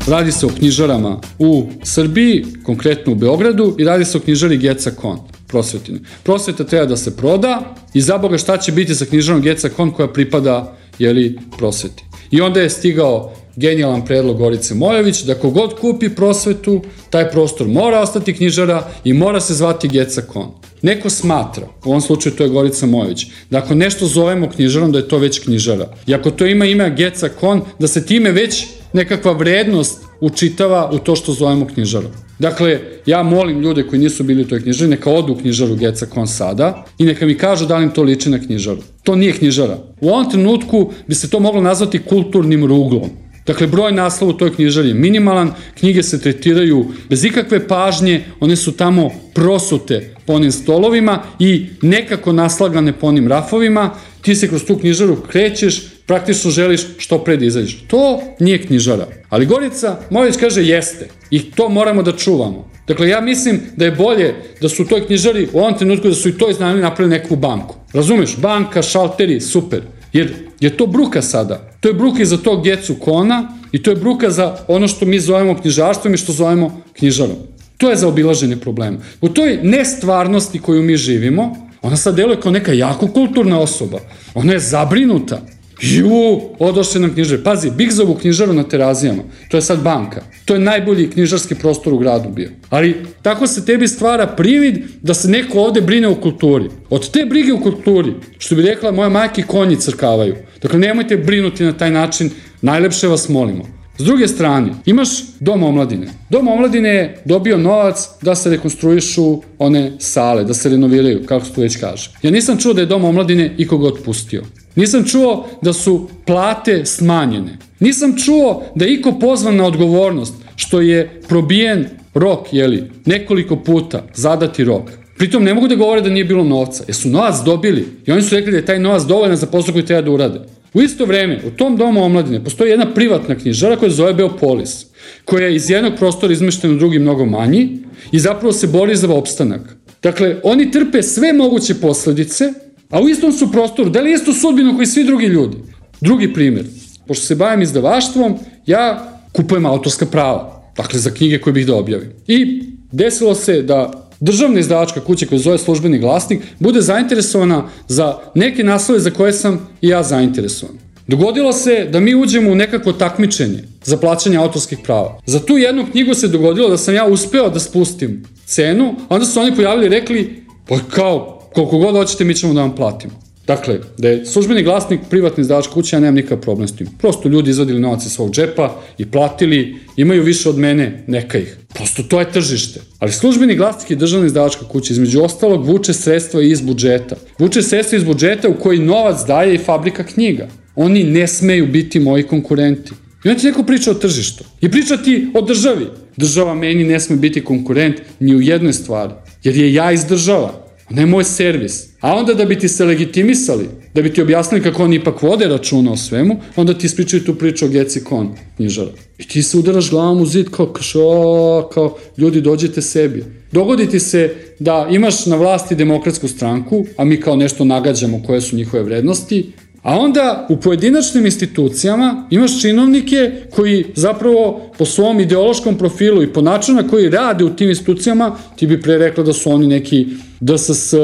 Radi se o knjižarama u Srbiji, konkretno u Beogradu, i radi se o knjižari Geca Kon, prosvetine. Prosveta treba da se proda i za Boga šta će biti sa knjižarom Geca Kon koja pripada, jeli, prosveti. I onda je stigao genijalan predlog Gorice Mojović da kogod kupi prosvetu, taj prostor mora ostati knjižara i mora se zvati Geca Kon. Neko smatra, u ovom slučaju to je Gorica Mojović, da ako nešto zovemo knjižarom da je to već knjižara. I ako to ima ime Geca Kon, da se time već nekakva vrednost učitava u to što zovemo knjižarom. Dakle, ja molim ljude koji nisu bili u toj knjižari, neka odu u knjižaru Geca Kon sada i neka mi kažu da li im to liči na knjižaru. To nije knjižara. U ovom trenutku bi se to moglo nazvati kulturnim ruglom. Dakle, broj naslova u toj knjižari je minimalan, knjige se tretiraju bez ikakve pažnje, one su tamo prosute po onim stolovima i nekako naslagane po onim rafovima, ti se kroz tu knjižaru krećeš, praktično želiš što pre da izađeš. To nije knjižara. Ali Gorica Mojović kaže jeste i to moramo da čuvamo. Dakle, ja mislim da je bolje da su u toj knjižari u ovom trenutku da su i to iznajmili napravili neku banku. Razumeš? Banka, šalteri, super. Jer je to bruka sada. To je bruka i za tog Gecu Kona i to je bruka za ono što mi zovemo knjižarstvom i što zovemo knjižarom. To je za obilaženje problema. U toj nestvarnosti koju mi živimo, ona sad deluje kao neka jako kulturna osoba. Ona je zabrinuta. Ju, odošli nam knjižare. Pazi, Bigzovu knjižaru na Terazijama, to je sad banka. To je najbolji knjižarski prostor u gradu bio. Ali tako se tebi stvara privid da se neko ovde brine o kulturi. Od te brige u kulturi, što bi rekla moja majka, konji crkavaju. Dakle, nemojte brinuti na taj način, najlepše vas molimo. S druge strane, imaš Dom omladine. Dom omladine je dobio novac da se rekonstruišu one sale, da se renoviraju, kako se to već kaže. Ja nisam čuo da je Dom omladine ikoga otpustio. Nisam čuo da su plate smanjene. Nisam čuo da je iko pozvan na odgovornost što je probijen rok, jeli, nekoliko puta zadati rok. Pritom ne mogu da govore da nije bilo novca, jer su novac dobili i oni su rekli da je taj novac dovoljan za posao koji treba da urade. U isto vreme, u tom Domu omladine postoji jedna privatna knjižara koja se zove Beopolis, koja je iz jednog prostora izmeštena u drugi mnogo manji i zapravo se bori za opstanak. Dakle, oni trpe sve moguće posledice, a u istom su prostoru, da li istu sudbinu koji svi drugi ljudi. Drugi primjer, pošto se bavim izdavaštvom, ja kupujem autorska prava, dakle za knjige koje bih da objavim. I desilo se da državna izdavačka kuća koja zove Službeni glasnik bude zainteresovana za neke naslove za koje sam i ja zainteresovan. Dogodilo se da mi uđemo u nekako takmičenje za plaćanje autorskih prava. Za tu jednu knjigu se dogodilo da sam ja uspeo da spustim cenu, a onda su oni pojavili i rekli, pa kao, koliko god hoćete mi ćemo da vam platimo. Dakle, da je Službeni glasnik privatni izdavačka kuća, ja nemam nikakav problem s tim. Prosto ljudi izvadili novac iz svog džepa i platili, imaju više od mene, neka ih. Prosto to je tržište. Ali Službeni glasnik je državna izdavačka kuća, između ostalog vuče sredstva iz budžeta. Vuče sredstva iz budžeta u koji novac daje i fabrika knjiga. Oni ne smeju biti moji konkurenti. I onda ti neko priča o tržištu. I priča ti o državi. Država meni ne sme biti konkurent ni u jednoj stvari. Jer je ja iz država. Ona je moj servis. A onda da bi ti se legitimisali, da bi ti objasnili kako oni ipak vode računa o svemu, onda ti ispričaju tu priču o Geci Kon, knjižara. I ti se udaraš glavom u zid kao, kao, kao ljudi dođite sebi. Dogodi ti se da imaš na vlasti Demokratsku stranku, a mi kao nešto nagađamo koje su njihove vrednosti, a onda u pojedinačnim institucijama imaš činovnike koji zapravo po svom ideološkom profilu i po načinu na koji rade u tim institucijama, ti bi pre rekla da su oni neki D S S,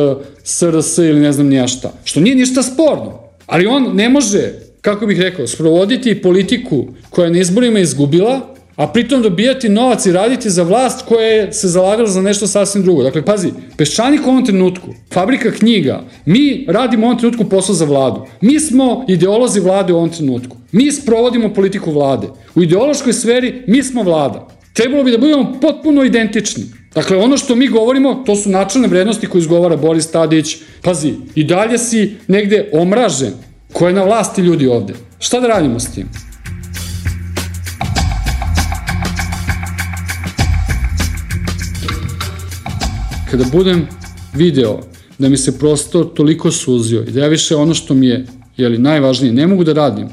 S R S ili ne znam nija šta. Što nije ništa sporno. Ali on ne može, kako bih rekao, sprovoditi politiku koja je na izborima izgubila, a pritom dobijati novac i raditi za vlast koja je se zalagala za nešto sasvim drugo. Dakle, pazi, Peščanik u ovom trenutku, fabrika knjiga, mi radimo u ovom trenutku posao za vladu. Mi smo ideolozi vlade u ovom trenutku. Mi sprovodimo politiku vlade. U ideološkoj sferi mi smo vlada. Trebalo bi da budemo potpuno identični. Dakle, ono što mi govorimo, to su načelne vrednosti koje izgovara Boris Tadić. Pazi, i dalje si negde omražen. Ko je na vlasti ljudi ovde? Šta da radimo s tim? Kada budem video da mi se prostor toliko suzio i da ja više ono što mi je jeli, najvažnije ne mogu da radim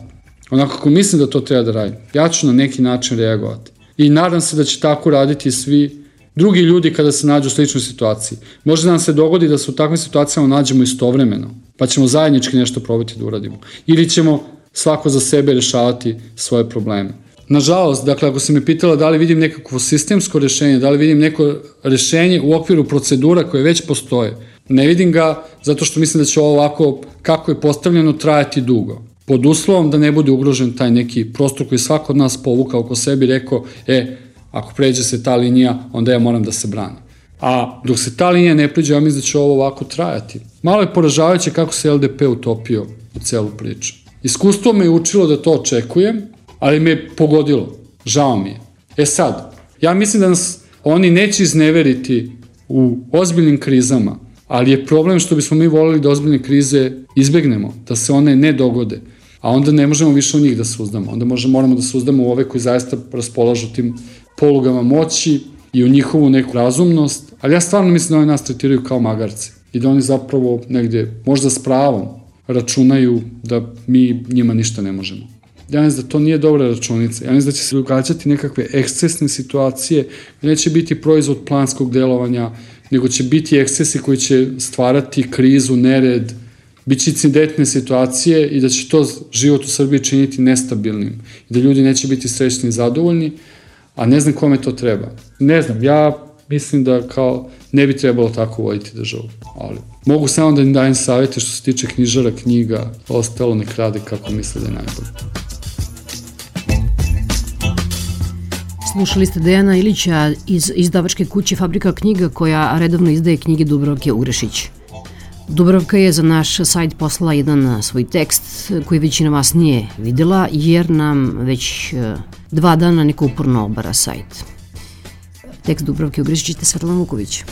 onako kako mislim da to treba da radim, ja ću na neki način reagovati. I nadam se da će tako raditi svi drugi ljudi kada se nađu u sličnoj situaciji. Može da nam se dogodi da se u takvim situacijama nađemo istovremeno, pa ćemo zajednički nešto probati da uradimo. Ili ćemo svako za sebe rešavati svoje probleme. Nažalost, dakle, ako se me pitala da li vidim nekakvo sistemsko rešenje, da li vidim neko rešenje u okviru procedura koje već postoje, ne vidim ga zato što mislim da će ovo ovako, kako je postavljeno, trajati dugo. Pod uslovom da ne bude ugrožen taj neki prostor koji svako od nas povuka oko sebi i rekao, e, ako pređe se ta linija, onda ja moram da se branim. A dok se ta linija ne pređe, ja mislim da će ovo ovako trajati. Malo je poražavajuće kako se L D P utopio u celu priču. Iskustvo me je učilo da to očekujem, ali me je pogodilo. Žao mi je. E sad, ja mislim da nas oni neće izneveriti u ozbiljnim krizama, ali je problem što bismo mi volili da ozbiljne krize izbegnemo, da se one ne dogode, a onda ne možemo više u njih da se uzdamo. Onda možemo, moramo da se uzdamo u ove koji zaista raspolažu tim polugama moći i u njihovu neku razumnost, ali ja stvarno mislim da oni nas tretiraju kao magarce i da oni zapravo negde, možda s pravom, računaju da mi njima ništa ne možemo. Ja mislim da to nije dobra računica. Ja mislim da će se događati nekakve ekscesne situacije, neće biti proizvod planskog delovanja, nego će biti ekscesi koji će stvarati krizu, nered, bit će incidentne situacije i da će to život u Srbiji činiti nestabilnim. I da ljudi neće biti srećni i zadovoljni, a ne znam kome to treba. Ne znam, ja mislim da kao ne bi trebalo tako voditi državu, ali mogu samo da im dajem savjete što se tiče knjižara, knjiga, ostalo nek rade kako misle da je najbolje. Slušali ste Dejana Ilića iz izdavačke kuće Fabrika knjiga koja redovno izdaje knjige Dubravke Ugrešić. Dubravka je za naš sajt poslala jedan svoj tekst koji većina vas nije videla jer nam već dva dana neko uporno obara sajt. Tekst Dubravke Ugrešić čita Svetlana Vuković.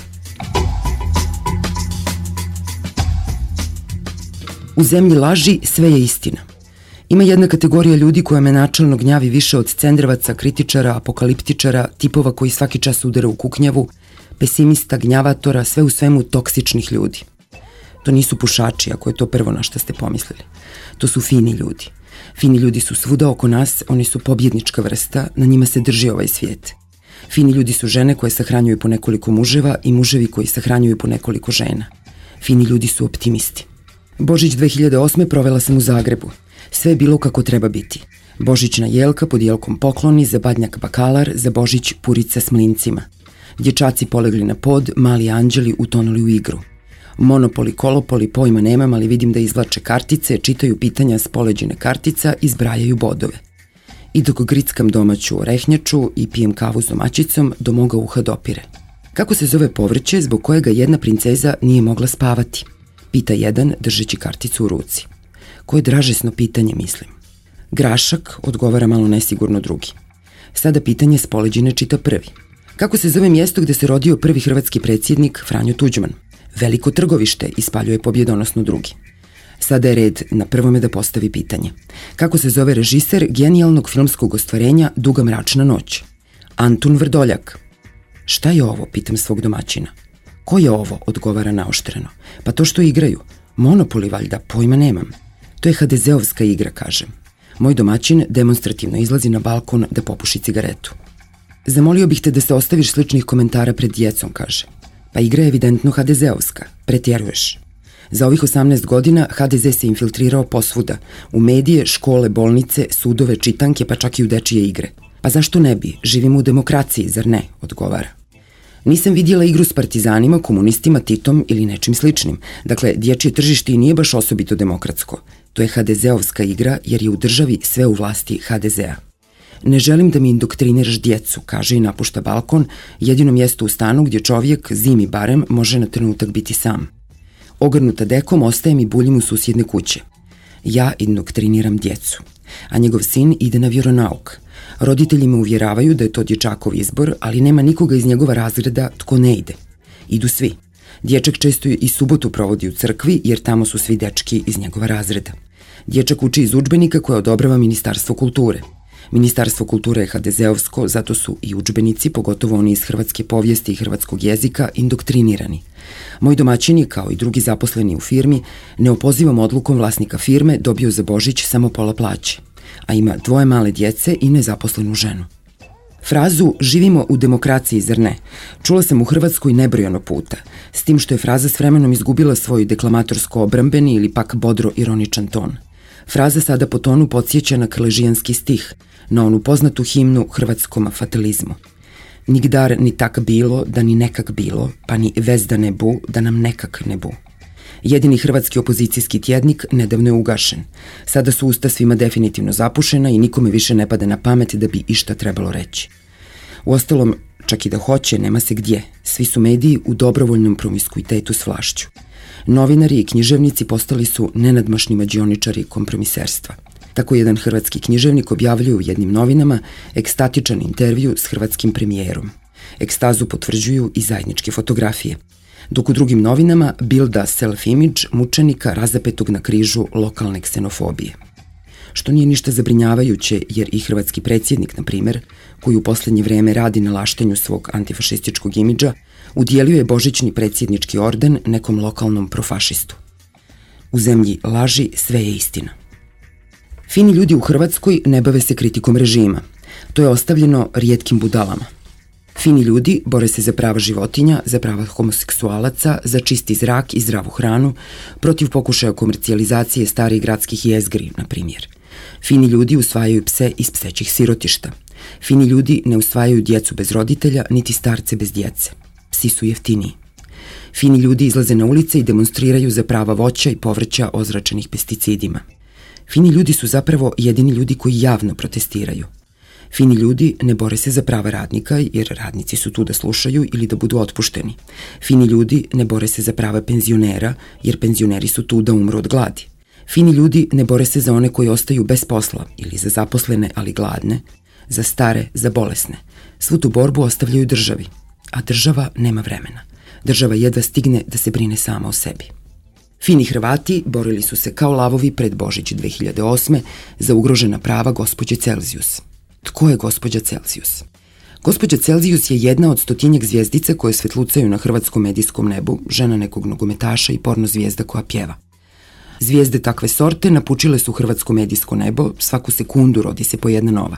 U zemlji laži sve je istina. Ima jedna kategorija ljudi koja me načalno gnjavi više od cendrvaca, kritičara, apokaliptičara, tipova koji svaki čas udara u kuknjavu, pesimista, gnjavatora, sve u svemu toksičnih ljudi. To nisu pušači, ako je to prvo na što ste pomislili. To su fini ljudi. Fini ljudi su svuda oko nas, oni su pobjednička vrsta, na njima se drži ovaj svijet. Fini ljudi su žene koje sahranjuju po nekoliko muževa i muževi koji sahranjuju po nekoliko žena. Fini ljudi su optimisti. Božić dve hiljade osme provela sam u Zagrebu. Sve je bilo kako treba biti. Božićna jelka pod jelkom pokloni, za badnjak bakalar, za Božić purica s mlincima. Dječaci polegli na pod, mali anđeli utonuli u igru. Monopoli, kolopoli, pojma nemam, ali vidim da izvlače kartice, čitaju pitanja s poleđine kartica i zbrajaju bodove. I dok grickam domaću orehnjaču i pijem kavu s domaćicom, do moga uha dopire. Kako se zove povrće zbog kojega jedna princeza nije mogla spavati? Pita jedan držeći karticu u ruci. Koje dražesno pitanje, mislim. Grašak, odgovara malo nesigurno drugi. Sada pitanje s poleđine čita prvi. Kako se zove mjesto gde se rodio prvi hrvatski predsjednik Franjo Tuđman? Veliko Trgovište, ispaljuje pobjedonosno drugi. Sada je red na prvome da postavi pitanje. Kako se zove režiser genijalnog filmskog ostvarenja Duga mračna noć? Antun Vrdoljak. Šta je ovo, pitam svog domaćina. Ko je ovo, odgovara naoštreno. Pa to što igraju. Monopoli valjda, pojma nemam. To je ha de zeovska igra, kažem. Moj domaćin demonstrativno izlazi na balkon da popuši cigaretu. Zamolio bih te da se ostaviš sličnih komentara pred djecom, kaže. Pa igra je evidentno ha de zeovska, pretjeruješ. Za ovih osamnaest godina ha de ze se infiltrirao posvuda, u medije, škole, bolnice, sudove, čitanke, pa čak i u dečije igre. Pa zašto ne bi? Živimo u demokraciji, zar ne? Odgovara. Nisam vidjela igru s partizanima, komunistima, Titom ili nečim sličnim. Dakle, dječje tržište i nije baš osobito demokratsko. To je ha de zeovska igra jer je u državi sve u vlasti ha de zea. Ne želim da mi indoktriniraš djecu, kaže i napušta balkon, jedino mjesto u stanu gdje čovjek, zimi barem, može na trenutak biti sam. Ogrnuta dekom ostajem i buljim u susjedne kuće. Ja indoktriniram djecu, a njegov sin ide na vjeronauk. Roditelji me uvjeravaju da je to dječakov izbor, ali nema nikoga iz njegova razreda tko ne ide. Idu svi. Dječak često i subotu provodi u crkvi, jer tamo su svi dečki iz njegova razreda. Dječak uči iz udžbenika koje odobrava Ministarstvo kulture. Ministarstvo kulture je ha de zeovsko, zato su i udžbenici, pogotovo oni iz hrvatske povijesti i hrvatskog jezika, indoktrinirani. Moj domaćin je, kao i drugi zaposleni u firmi, neopozivom odlukom vlasnika firme dobio za Božić samo pola plaće. a ima dvoje male djece i nezaposlenu ženu. Frazu "živimo u demokraciji, zar ne?" čula sam u Hrvatskoj nebrojano puta, s tim što je fraza s vremenom izgubila svoj deklamatorsko-obrambeni ili pak bodro-ironičan ton. Fraza sada po tonu podsjeća na krležijanski stih, na onu poznatu himnu hrvatskom fatalizmu. Nigdar ni tak bilo, da ni nekak bilo, pa ni vez da ne bu, da nam nekak ne bu. Jedini hrvatski opozicijski tjednik nedavno je ugašen. Sada su usta svima definitivno zapušena i nikome više ne pada na pamet da bi išta trebalo reći. Uostalom, čak i da hoće, nema se gdje. Svi su mediji u dobrovoljnom promiskuitetu s vlašću. Novinari i književnici postali su nenadmašni mađioničari kompromiserstva. Tako jedan hrvatski književnik objavljuje u jednim novinama ekstatičan intervju s hrvatskim premijerom. Ekstazu potvrđuju i zajedničke fotografije. Dok u drugim novinama bilda self-image mučenika razapetog na križu lokalne ksenofobije. Što nije ništa zabrinjavajuće, jer i hrvatski predsjednik, na primjer, koji u posljednje vreme radi na laštenju svog antifašističkog imidža, udjelio je božićni predsjednički orden nekom lokalnom profašistu. U zemlji laži sve je istina. Fini ljudi u Hrvatskoj ne bave se kritikom režima. To je ostavljeno rijetkim budalama. Fini ljudi bore se za prava životinja, za prava homoseksualaca, za čisti zrak i zdravu hranu, protiv pokušaja komercijalizacije starih gradskih jezgri, na primjer. Fini ljudi usvajaju pse iz psećih sirotišta. Fini ljudi ne usvajaju djecu bez roditelja, niti starce bez djece. Psi su jeftiniji. Fini ljudi izlaze na ulice i demonstriraju za prava voća i povrća ozračenih pesticidima. Fini ljudi su zapravo jedini ljudi koji javno protestiraju. Fini ljudi ne bore se za prava radnika, jer radnici su tu da slušaju ili da budu otpušteni. Fini ljudi ne bore se za prava penzionera, jer penzioneri su tu da umru od gladi. Fini ljudi ne bore se za one koji ostaju bez posla ili za zaposlene, ali gladne, za stare, za bolesne. Svu tu borbu ostavljaju državi, a država nema vremena. Država jedva stigne da se brine sama o sebi. Fini Hrvati borili su se kao lavovi pred Božić dve hiljade osme za ugrožena prava gospođe Celzijus. Tko je gospođa Celzijus? Gospođa Celzijus je jedna od stotinjak zvijezdica koje svetlucaju na hrvatskom medijskom nebu, žena nekog nogometaša i porno zvijezda koja pjeva. Zvijezde takve sorte napučile su hrvatsko medijsko nebo, svaku sekundu rodi se po jedna nova.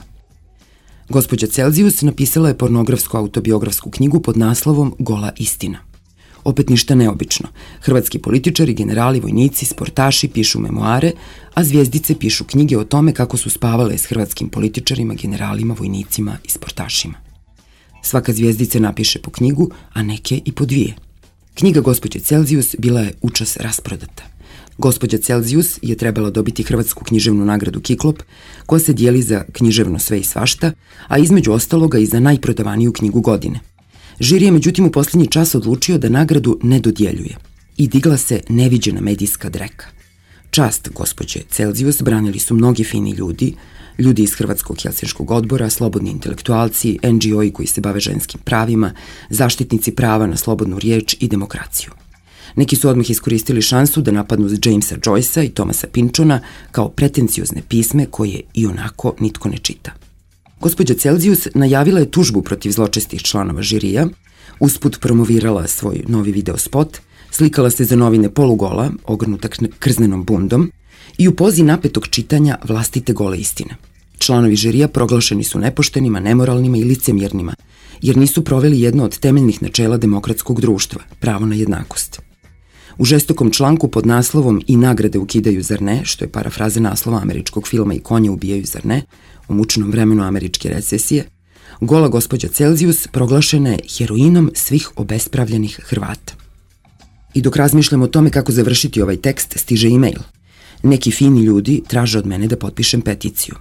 Gospođa Celzijus napisala je pornografsku autobiografsku knjigu pod naslovom Gola istina. Opet ništa neobično. Hrvatski političari, generali, vojnici, sportaši pišu memoare, a zvijezdice pišu knjige o tome kako su spavale s hrvatskim političarima, generalima, vojnicima i sportašima. Svaka zvijezdica napiše po knjigu, a neke i po dvije. Knjiga gospođe Celzijus bila je učas rasprodata. Gospođa Celzijus je trebala dobiti hrvatsku književnu nagradu Kiklop, koja se dijeli za književno sve i svašta, a između ostaloga i za najprodavaniju knjigu godine. Žiri je međutim u posljednji čas odlučio da nagradu ne dodjeljuje i digla se neviđena medijska dreka. Čast gospođe Celzijus branili su mnogi fini ljudi, ljudi iz Hrvatskog Helsinškog odbora, slobodni intelektualci, en dži o-i koji se bave ženskim pravima, zaštitnici prava na slobodnu riječ i demokraciju. Neki su odmah iskoristili šansu da napadnu Jamesa Joycea i Thomasa Pynchona kao pretenciozne pisme koje i onako nitko ne čita. Gospođa Celzijus najavila je tužbu protiv zločestih članova žirija, usput promovirala svoj novi video spot, slikala se za novine polugola, ogrnuta krznenom bundom i u pozi napetog čitanja vlastite gole istine. Članovi žirija proglašeni su nepoštenima, nemoralnima i licemjernima, jer nisu proveli jedno od temeljnih načela demokratskog društva, pravo na jednakost. U žestokom članku pod naslovom "I nagrade ukidaju, zar ne?", što je parafraza naslova američkog filma "I konje ubijaju, zar ne?", u mučnom vremenu američke recesije, gola gospođa Celzijus proglašena je heroinom svih obespravljenih Hrvata. I dok razmišljam o tome kako završiti ovaj tekst, stiže e-mail. Neki fini ljudi traže od mene da potpišem peticiju.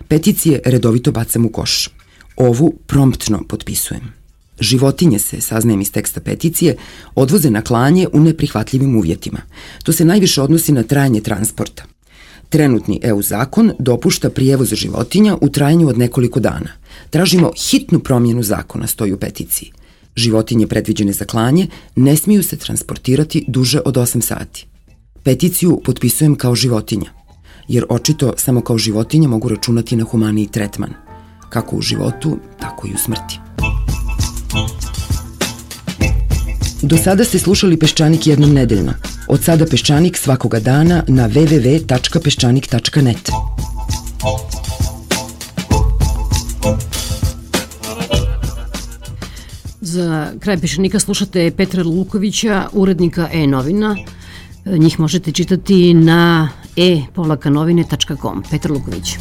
Peticije redovito bacam u koš. Ovu promptno potpisujem. Životinje se, saznajem iz teksta peticije, odvoze na klanje u neprihvatljivim uvjetima. To se najviše odnosi na trajanje transporta. Trenutni e u zakon dopušta prijevoz životinja u trajanju od nekoliko dana. Tražimo hitnu promjenu zakona, stoji u peticiji. Životinje predviđene za klanje ne smiju se transportirati duže od osam sati. Peticiju potpisujem kao životinja, jer očito samo kao životinja mogu računati na humaniji tretman, kako u životu, tako i u smrti. Do sada ste slušali Peščanik jednom nedeljno. Od sada Peščanik svakoga dana na w w w tačka peščanik tačka net. Za kraj Peščanika slušate Petra Lukovića, urednika e-novina. Njih možete čitati na e polaka novine tačka com. Petar Luković.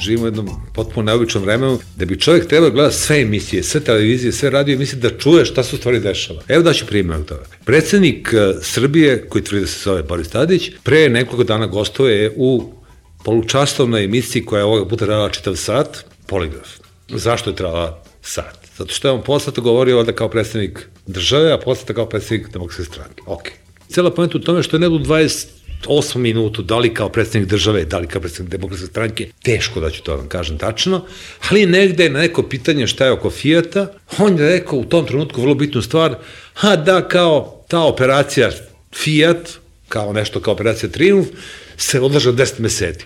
Živimo u jednom potpuno neobičnom vremenu da bi čovjek trebao gledati sve emisije, sve televizije, sve radio emisije da čuje šta se u stvari dešava. Evo daću primjer od toga. Predsednik Srbije, koji tvrdi da se zove Boris Tadić, pre nekoliko dana gostuje u polučasovnoj emisiji koja je ovoga puta trajala čitav sat, Poligraf. Zašto je trajala sat? Zato što je on posle govorio ovde kao predsednik države, a posle kao predsednik Demokratske stranke. Ok. Cela poenta u tome što je ne u dvadeset osam minutu, da li kao predsednik države, da li kao predsednik Demokratske stranke, teško da ću to vam kažem tačno, ali negde na neko pitanje šta je oko Fijata, on je rekao u tom trenutku vrlo bitnu stvar, ha da kao ta operacija Fijat, kao nešto kao operacija Triumf, se odlaže deset meseci.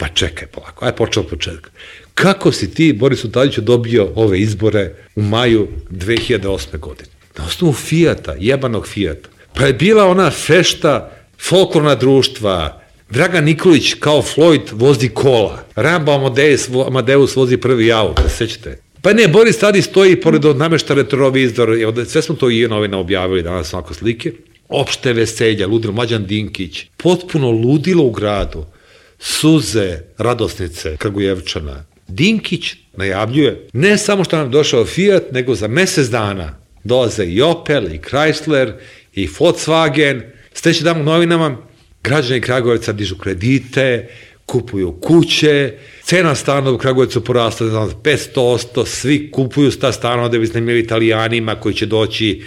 Pa čekaj polako, aj počeo od početka. Kako si ti, Borisu Tadiću, dobio ove izbore u maju dve hiljade osme. godine? Na osnovu Fijata, jebanog Fijata. Pa je bila ona fešta folklorna društva, Dragan Nikolić kao Floyd vozi kola, Rambo Amadeus, Amadeus vozi prvi auto, da se sećate. Pa ne, Boris Tadić stoji pored od namešta retrovizor, sve smo to i novina objavili danas ovako slike, opšte veselja, ludilo, Mlađan Dinkić, potpuno ludilo u gradu, suze, radosnice, Kragujevčana. Dinkić najavljuje, ne samo što nam došao Fiat, nego za mesec dana dolaze i Opel, i Chrysler, i Volkswagen. Sljedeći dan u novinama, građani Kragujevca dižu kredite, kupuju kuće, cena stanova u Kragujevcu porasta za petsto posto, svi kupuju ta stanova da bi snimili Italijanima koji će doći,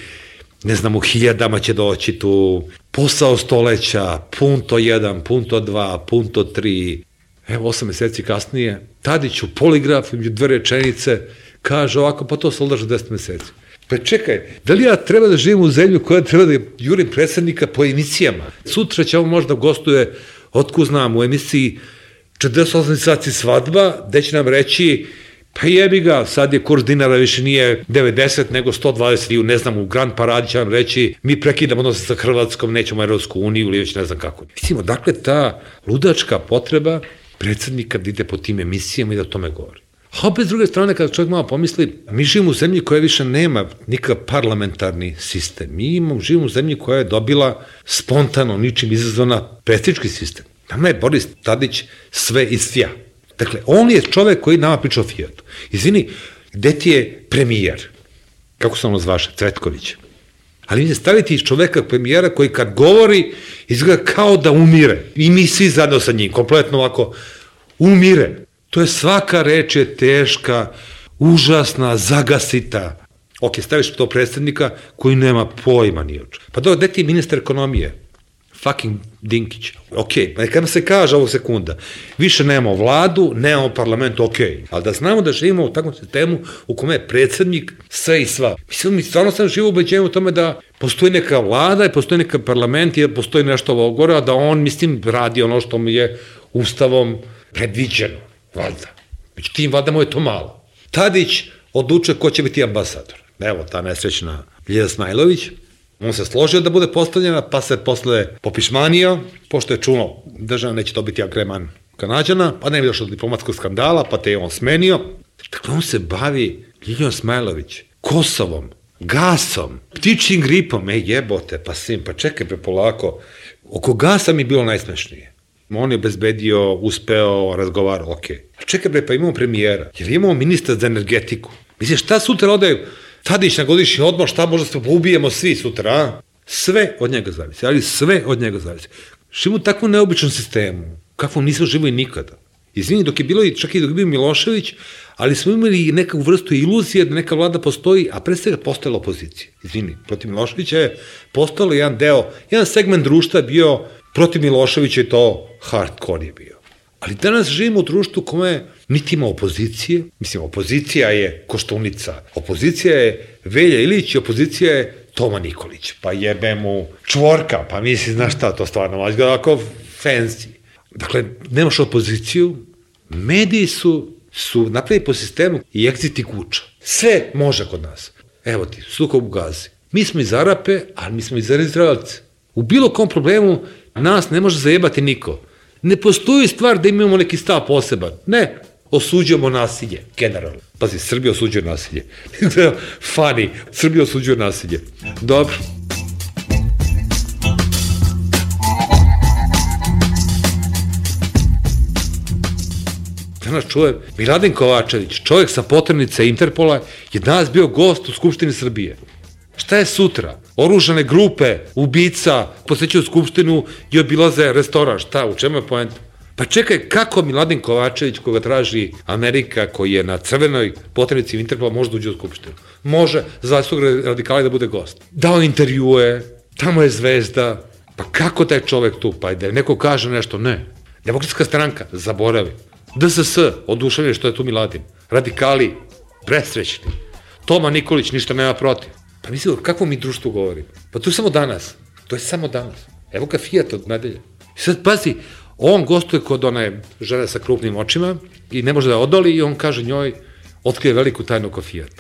ne znam, u hiljadama će doći tu, posao stoleća, punto jedan, punto dva, punto tri. Evo, osam meseci kasnije, Tadić u Poligraf, među dve rečenice, kaže ovako, pa to se odlaže deset meseci. Pa čekaj, da li ja treba da živim u zemlju koja treba da jurim predsednika po emisijama? Sutra će ovo možda gostuje, otko znam, u emisiji četrdeset osam sati svadba, gde će nam reći, pa jebi ga, sad je kurs dinara više nije devedeset, nego sto dvadeset, ili ne znam, u Grand Paradi će nam reći, mi prekidamo odnose sa Hrvatskom, nećemo Evropsku uniju, ili već ne znam kako. Mislimo, dakle, ta ludačka potreba predsednika da ide po tim emisijama i da o tome govori. A opet s druge strane, kada čovjek malo pomisli, mi živimo u zemlji koja više nema nikakav parlamentarni sistem. Mi imamo, živimo u zemlji koja je dobila spontano, ničim izazvana predsjednički sistem. Nama je Boris Tadić sve iz Fija. Dakle, on je čovjek koji nama priča o Fijatu. Izvini, gde ti je premijer? Kako se ono zvaše? Cvetković. Ali mi se staviti iz čoveka premijera koji kad govori izgleda kao da umire. I mi svi zajedno sa njim, kompletno ovako, umire. To je svaka reč je teška, užasna, zagasita. Ok, staviš to predsednika koji nema pojma ni oče. Pa dobro, gde ti je ministar ekonomije? Fucking Dinkić. Ok, neka se kaže ovog sekunda. Više nemamo vladu, nemamo parlament, ok. Ali da znamo da živimo u takvom sistemu u kome je predsednik sve i sva. Mislim, mi stvarno sam živo ubeđenju u tome da postoji neka vlada i postoji neka parlament i da postoji nešto ovo gore, a da on, mislim, radi ono što mu je ustavom predviđeno. Valjda. Međutim, valjda mu je to malo. Tadić odlučuje ko će biti ambasador. Evo, ta nesrećna Ljilja Smajlović. On se složio da bude postavljena, pa se posle popišmanio, pošto je čuno država neće dobiti agreman Kanađana, pa ne bi došlo do diplomatskog skandala, pa te je on smenio. Dakle, on se bavi Ljiljom Smajlović, Kosovom, gasom, ptičjim gripom. Ej, jebote, pa sim, pa čekaj pre polako. Oko gasa mi je bilo najsmešnije. On je bezbedio, uspeo, razgovarao, ok. A čekaj bre, pa imamo premijera, jer imamo ministra za energetiku. Misliš, šta sutra ode Tadić na godišnji odmor, šta možda se ubijemo svi sutra, a? Sve od njega zavisi, ali sve od njega zavisi. Živimo u takvom neobičnom sistemu, kakvom nismo živili nikada. Izvini, dok je bilo, čak i dok je bio Milošević, ali smo imali neku vrstu iluzije da neka vlada postoji, a pre svega postojala opozicija. Izvini, protiv Miloševića je postojalo jedan deo, jedan segment društva bio protiv Miloševića i to hardcore je bio. Ali danas živimo u društvu kome niti ima opozicije, mislim, opozicija je Koštunica, opozicija je Velja Ilić i opozicija je Toma Nikolić, pa jebe mu Čvorka, pa misli, znaš šta, to stvarno mađe ga ovako fancy. Dakle, nemaš opoziciju, mediji su, su napravili po sistemu i exit i kuća. Sve može kod nas. Evo ti, sukob u Gazi. Mi smo iz Arape, ali mi smo iz Izraelce. U bilo kom problemu nas ne može zajebati niko. Ne postoji stvar da imamo neki stav poseban. Ne. osuđujemo nasilje, generalno. Pazi, Srbija osuđuje nasilje. Funny, Srbija osuđuje nasilje. Dobro. Danas čujem, Miladin Kovačević, čovjek sa poternice Interpola, je danas bio gost u Skupštini Srbije. Šta je sutra? Oružane grupe, ubica, posećuju Skupštinu i obilaze restoran. Šta, u čemu je poenta? Pa čekaj, kako Miladin Kovačević, koga traži Amerika, koji je na crvenoj poternici Interpola, može da uđe u Skupštinu? Može, za svog radikala da bude gost. Dao intervjue, tamo je zvezda. Pa kako taj čovjek tu? Pa da neko kaže nešto, ne. Demokratska stranka, zaboravi. D S S, oduševljeni što je tu Miladin. Radikali, presrećni. Toma Nikolić ništa nema protiv. Pa mislim, kakvo mi društvo govorim? Pa to je samo danas. To je samo danas. Evo ga Fiat od nedelje. I sad, pazi, on gostuje kod one žene sa krupnim očima i ne može da odoli i on kaže njoj, otkrije veliku tajnu oko Fiat.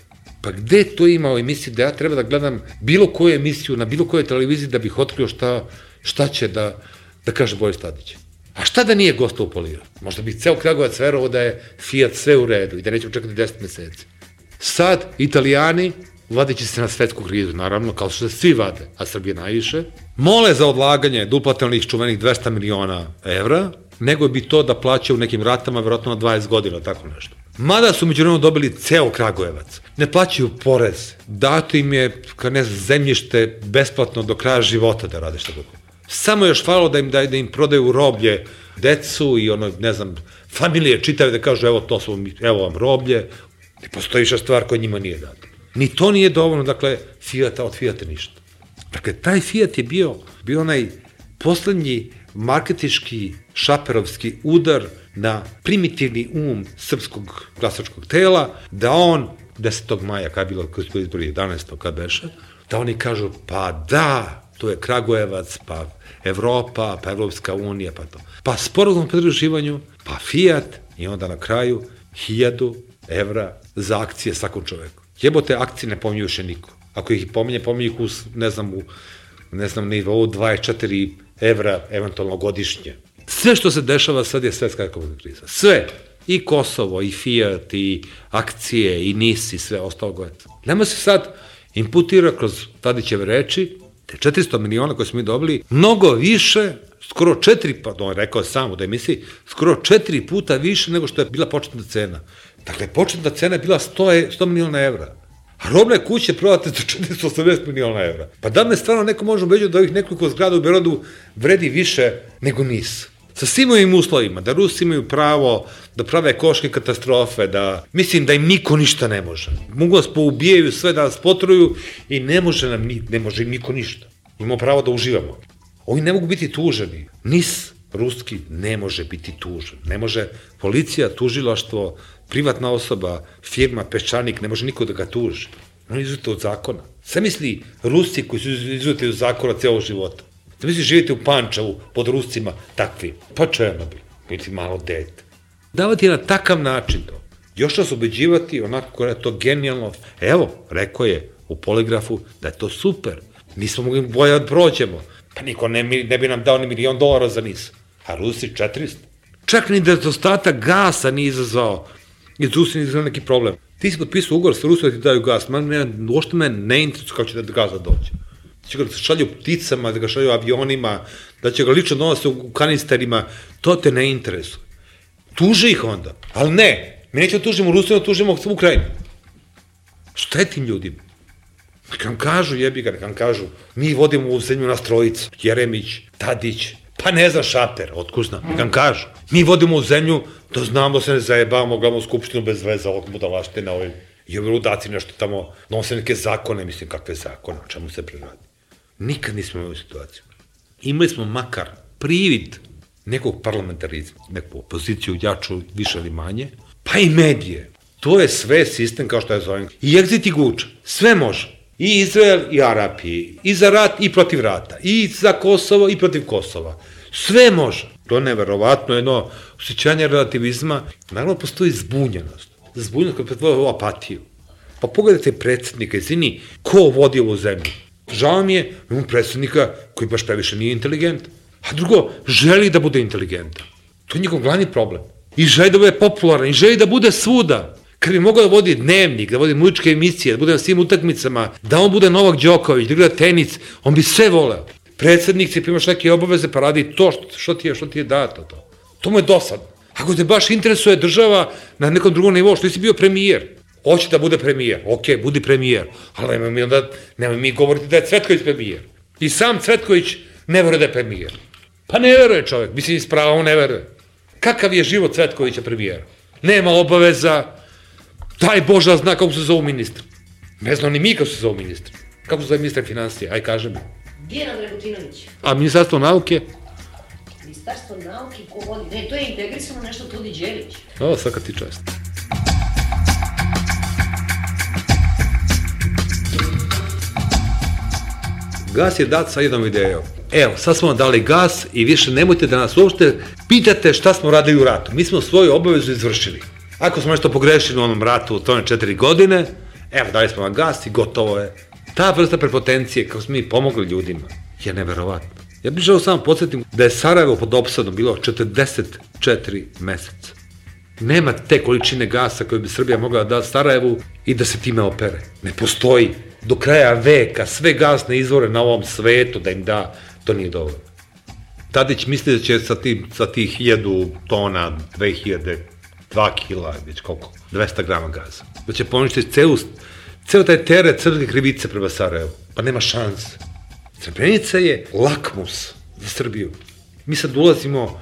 Pa gde to ima u emisiji da ja treba da gledam bilo koju emisiju na bilo kojoj televiziji da bih otkrio šta, šta će da, da kaže Boris Tadić? A šta da nije gosta upolirao? Možda bi ceo Kragujevac verovao da je Fiat sve u redu i da nećemo čekati deset meseci. Sad, Italijani, vadeći se na svetsku krizu, naravno, kao što se svi vade, a Srbije najviše, mole za odlaganje da uplate onih čuvenih dvesta miliona evra, nego bi to da plaća u nekim ratama, verovatno na dvadeset godina, tako nešto. Mada su među vremenu dobili ceo Kragujevac. Ne plaćaju porez. Dato im je, kao ne znam, zemljište besplatno do kraja života da rade šta god. Samo još falilo da im, da, da im prodaju roblje decu i ono, ne znam, familije čitave da kažu evo to su, evo vam roblje. Ne postoji više stvar koja njima nije data. Ni to nije dovoljno, dakle, Fijata od Fijata ništa. Dakle, taj Fijat je bio, bio onaj poslednji marketički šaperovski udar na primitivni um srpskog glasačkog tela, da on, desetog maja, kada je bilo, kada su izbori jedanaestog kada beše, da oni kažu, pa da, to je Kragujevac, pa Evropa, pa Evropska unija, pa to. Pa sporazum o pridruživanju, pa Fijat i onda na kraju hiljadu evra za akcije svakom čoveku. Jebote, akcije ne pominju više niko. Ako ih pominje, pominje ih u, ne znam, u, ne znam, nivou dvadeset četiri evra, eventualno godišnje. Sve što se dešava sad je svetska ekonomska kriza. Sve. I Kosovo, i Fijat, i akcije, i N I S, i sve ostalo goje. Nama se sad imputira kroz Tadićeve reči, te četiristo miliona koje smo mi dobili, mnogo više, skoro četiri, pa on rekao samo da je misli, skoro četiri puta više nego što je bila početna cena. Dakle, početna cena je bila sto miliona evra. A robne kuće prodate za četiristo osamdeset miliona evra. Pa da me stvarno neko može ubeđati da ovih nekoliko zgrada u Beogradu vredi više nego N I S. Sa svim ovim uslovima, da Rusi imaju pravo da prave ekološke katastrofe, da mislim da im niko ništa ne može. Mogu nas poubijaju sve, da nas potruju i ne može nam, ne može im niko ništa. Imamo pravo da uživamo. Ovi ne mogu biti tuženi. N I S ruski ne može biti tužen. Ne može policija, tužilaštvo, privatna osoba, firma, peščanik, ne može niko da ga tuži. On je izuzete od zakona. Sve misli Rusi koji su izuzete od zakona cijelog života. Da misli živite u Pančevu pod Ruscima takvi. Pa Černobil, biti malo dete. Davati na takav način to. Još nas ubeđivati onako koja je to genijalno. Evo, rekao je u poligrafu da je to super. Nismo mogli bolje da prođemo. Pa niko ne, ne bi nam dao ni milion dolara za N I S. A Rusi četiristo. Čak ni nedostatak gasa nije izazvao. Iz Rusi nije izazvao neki problem. Ti si potpisao ugovor sa Rusima da ti daju gas. Uošte me ne interesuje kako će da gasa dođe. Da će ga šalju pticama, da ga šalju avionima, da će ga lično donose u kanisterima. To te ne interesuje. Tuže ih onda. Ali ne. Mi nećemo tužimo Rusiju, tužimo Ukrajinu. Šta je tim ljudima? Neka nam kažu, jebi ga, neka nam kažu, mi vodimo u zemlju nas trojica, Jeremić, Tadić, pa ne zna Šaper, otkud znam, neka nam kažu. Mi vodimo u zemlju, da znamo se ne zajebamo, gledamo skupštinu bez veze, ovog budalašte na ovim, i ovi ludaci nešto tamo, nose neke zakone, mislim, kakve zakone, o čemu se preradi. Nikad nismo imali situaciju. Imali smo makar privid nekog parlamentarizma, neku opoziciju, jaču, više ili manje, pa i medije. To je sve sistem kao što je zovem. I Exit i Guča, sve može. I Izrael i Arapiji, i za rat i protiv rata, i za Kosovo i protiv Kosova. Sve može. To je neverovatno jedno osjećanje relativizma. Naravno, postoji zbunjenost. Zbunjenost koja pretvara u apatiju. Pa pogledajte predsjednika, izvini, ko vodi ovu zemlju? Žao mi je, imamo predsjednika koji baš previše nije inteligent. A drugo, želi da bude inteligentan. To je njegov glavni problem. I želi da bude popularan, i želi da bude svuda. Kad bi mogao da vodi dnevnik, da vodi muzičke emisije, da bude na svim utakmicama, da on bude Novak Đoković, da igra tenis, on bi sve voleo. Predsednik ti primaš neke obaveze pa radi to što, što, ti je, što ti je dato. To, to mu je dosadno. Ako te baš interesuje država na nekom drugom nivou, što nisi bio premijer, hoće da bude premijer, ok, budi premijer, ali nemoj mi onda, nemoj mi govoriti da je Cvetković premijer. I sam Cvetković ne veruje da je premijer. Pa ne veruje čovjek, mislim iz prava, on ne veruje. Kakav je život Cvetkovića premijera? Nema obaveza, daj Boža zna kako se zovu ministri. Ne znam ni mi kako se zovu ministri. Kako se zove ministar financija, aj kaži mi. Dijana Dragutinović. A ministarstvo nauke? Ministarstvo nauke, ko vodi? Ne, to je integrisano nešto Tudi Đelić. O, svaka ti čast. Gas je dat sa jednom idejom. Evo, sad smo vam dali gas i više nemojte da nas uopšte pitate šta smo radili u ratu. Mi smo svoju obavezu izvršili. Ako smo nešto pogrešili u onom ratu u tome četiri godine, evo, dali smo vam gas i gotovo je. Ta vrsta prepotencije, kako smo mi pomogli ljudima, je neverovatna. Ja bih želeo samo podsjetim da je Sarajevo pod opsadom bilo četrdeset četiri meseca. Nema te količine gasa koje bi Srbija mogla da da Sarajevu i da se time opere. Ne postoji. Do kraja veka sve gasne izvore na ovom svetu da im da, to nije dovoljno. Tadić misli da će sa, tim, sa tih hiljadu tona, dve hiljade, dva kila, već koliko, dvesta grama gaza. Da će poništiti celu, ceo taj teret srpske krivice prema Sarajevu. Pa nema šanse. Srebrenica je lakmus za Srbiju. Mi sad ulazimo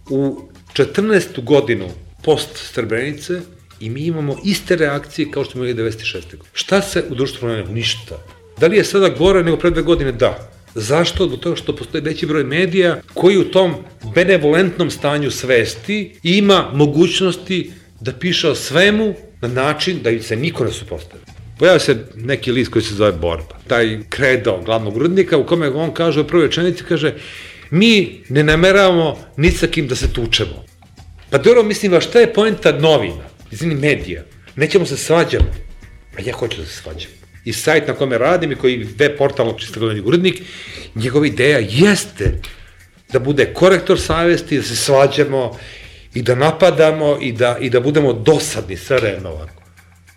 u četrnaestu godinu post Srebrenice i mi imamo iste reakcije kao što smo imali devedeset šeste godine. Šta se u društvu promenilo? Ništa. Da li je sada gore nego pre dve godine? Da. Zašto? Zbog toga što postoji veći broj medija koji u tom benevolentnom stanju svesti ima mogućnosti da piše o svemu na način da se niko ne supostavi. Pojavio se neki list koji se zove Borba. Taj kredo glavnog urednika u kome on kaže u prvoj rečenici, kaže, mi ne nameravamo ni sa kim da se tučemo. Pa dobro, mislim, a šta je poenta novina, izvini medija? Nećemo se svađamo. A ja hoću da se svađam. I sajt na kome radim i koji web portalno čista glavni urednik, njegova ideja jeste da bude korektor savesti, da se svađamo i da napadamo i da, i da budemo dosadni sa ovako.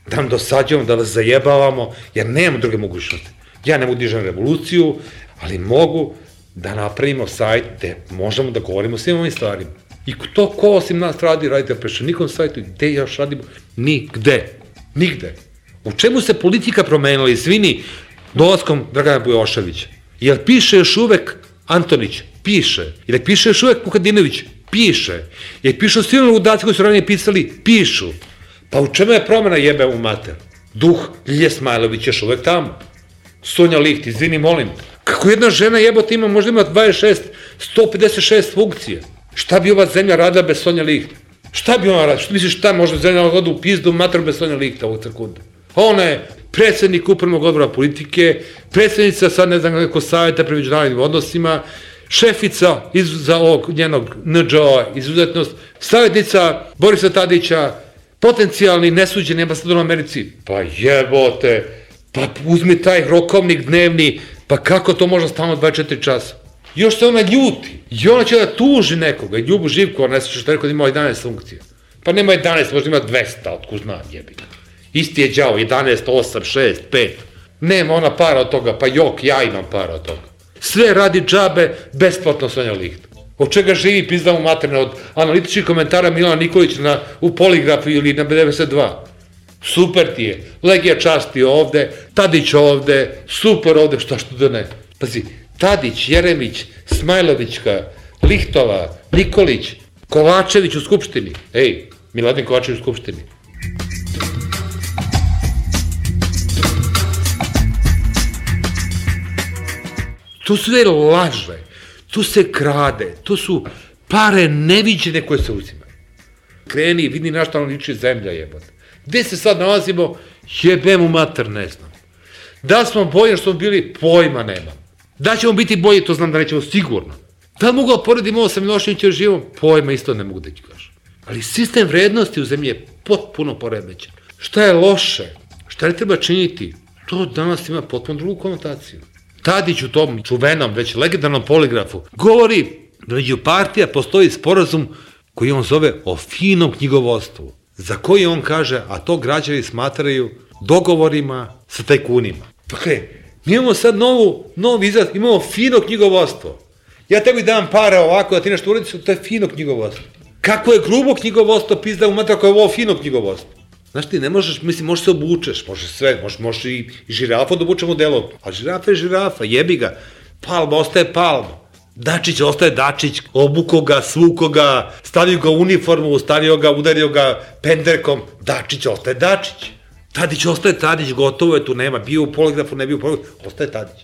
Da nam dosađujemo, da vas zajebavamo, jer nemamo druge mogućnosti. Ja ne mogu dižem revoluciju, ali mogu da napravimo sajt gde možemo da govorimo o svim ovim stvarima. I to ko osim nas radi, radite na Peščanikom sajtu, gde još radimo? Nigde. Nigde. U čemu se politika promenila, izvini, dolaskom Dragana Bujoševića? Jel piše još uvek Antonić? Piše. Jel piše još uvek Vukadinović? Piše. Jel piše svi oni ludaci koji su ranije pisali? Pišu. Pa u čemu je promena, jebe u mater? Duh Ljilje Smajlović još uvek tamo. Sonja Liht, izvini, molim. Kako jedna žena jebote ima, možda ima dvadeset šest, sto pedeset šest funkcije. Šta bi ova zemlja radila bez Sonja Liht? Šta bi ona radila? Što misliš šta možda zemlja odu u pizdu mater bez Sonja Lihta ovog sekunde? Ona je predsednik upravnog odbora politike, predsednica sad ne znam kako savjeta pri međunarodnim odnosima, šefica za ovog njenog N Đ O izuzetnost, savjetnica Borisa Tadića, potencijalni nesuđeni ambasador u Americi. Pa jebote, pa uzmi taj rokovnik dnevni, pa kako to može stalno dvadeset četiri časa? Još se ona ljuti i ona će da tuži nekoga i Ljubu Živkova, ne slušaš što rekao da ima jedanaest funkcija. Pa nema jedanaest, možda ima dvesta, otkud zna, jebi. Isti je đavo, jedanaest, osam, šest, pet. Nema ona para od toga, pa jok, ja imam para od toga. Sve radi džabe, besplatno Sonja Liht. Od čega živi pizdamo materne, od analitičkih komentara Milana Nikolića na, u Poligrafu ili na B devedeset dva. Super ti je, Legija časti ovde, Tadić ovde, super ovde, šta što da ne. Pazi, Tadić, Jeremić, Smajlovićka, Lihtova, Nikolić, Kovačević u Skupštini. Ej, Miladin Kovačević u Skupštini. To sve laže, tu se krade, to su pare neviđene koje se uzimaju. Kreni i vidi na šta nam liči zemlja, jebote. Gde se sad nalazimo, jebem u mater, ne znam. Da smo bolji što smo bili, pojma nema. Da ćemo biti bolji, to znam da nećemo sigurno. Da li mogu da poredim ovo sa Miloševićem živom, pojma isto ne mogu da ću kažem. Ali sistem vrednosti u zemlji je potpuno poremećen. Šta je loše? Šta ne treba činiti? To danas ima potpuno drugu konotaciju. Tadić u tom čuvenom, već legendarnom Poligrafu, govori da među partija postoji sporazum koji on zove o finom knjigovodstvu, za koji on kaže, a to građani smatraju dogovorima sa tajkunima. Dakle, mi imamo sad novu, novi izraz, imamo fino knjigovodstvo. Ja tebi dam pare ovako da ti nešto uradiš, to je fino knjigovodstvo. Kako je grubo knjigovodstvo, pizda u matra, ako je ovo fino knjigovodstvo. Znaš ti, ne možeš, mislim, možeš se obučeš, možeš sve, možeš, možeš i, i žirafa da obučemo delo, a žirafa je žirafa, jebi ga, Palma ostaje Palma, Dačić ostaje Dačić, obuko ga, svuko ga, stavio ga u uniformu, stavio ga, udario ga penderkom, Dačić ostaje Dačić. Tadić ostaje Tadić, gotovo je, tu nema, bio u poligrafu, ne bio u poligrafu, ostaje Tadić.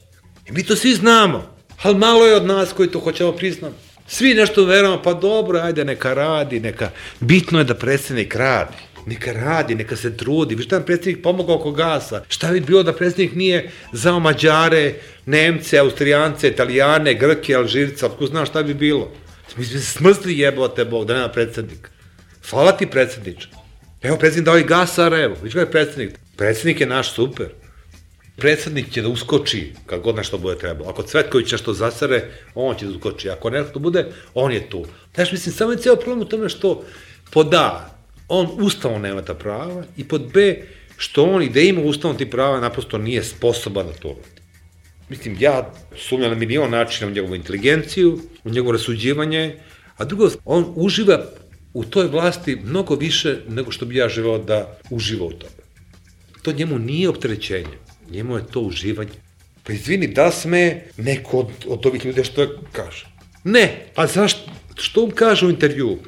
I mi to svi znamo, ali malo je od nas koji to hoćemo priznati. Svi nešto verujemo, pa dobro, ajde, neka radi, neka, bitno je da predsjednik radi. Neka radi, neka se trudi. Vi šta nam predsjednik pomogao oko gasa? Šta bi bilo da predsjednik nije zao Mađare, Nemce, Austrijance, Italijane, Grke, Alžirca, otko znaš šta bi bilo? Mi smo se smrzli jebote Bog da nema predsjednika. Hvala ti predsjedniče. Evo predsjednik dao i gas Sarajevo. Viš kada je predsjednik? Predsjednik je naš super. Predsjednik će da uskoči kad god nešto bude trebalo. Ako Cvetković nešto zasare, on će da uskoči. Ako nešto bude, on je tu. Znaš, mislim, samo je cijelo problem u tome što pod A, on ustavom nema ta prava i pod B, što on i da ima ustavom ti prava, naprosto nije sposoban da to uradi. Mislim, ja sumnjam na milion načina u njegovu inteligenciju, u njegovo rasuđivanje, a drugo, on uživa u toj vlasti mnogo više nego što bi ja želeo da uživa u tome. To njemu nije opterećenje, njemu je to uživanje. Pa izvini, da sme neko od, od ovih ljudi što kaže? Ne, a zašto? Što on kaže u intervju?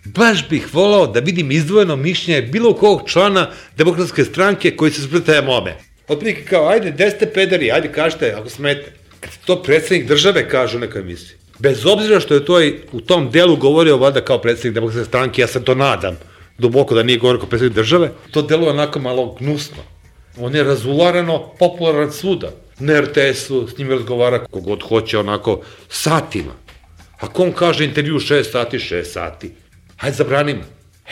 Baš bih volao da vidim izdvojeno mišljenje bilo kog člana Demokratske stranke koji se spretaje mome. Otprilike kao, ajde, gde ste pederi, ajde kažete, ako smete. Kad to predsjednik države kaže u nekoj emisiji. Bez obzira što je to u tom delu govorio valjda kao predsjednik Demokratske stranke, ja se to nadam, duboko da nije govorio kao predsjednik države, to deluje onako malo gnusno. On je razularano popularan svuda. Na er te esu s njim razgovara kogod hoće onako satima. Ako on kaže intervju šest sati, šest sati. Hajde zabranimo.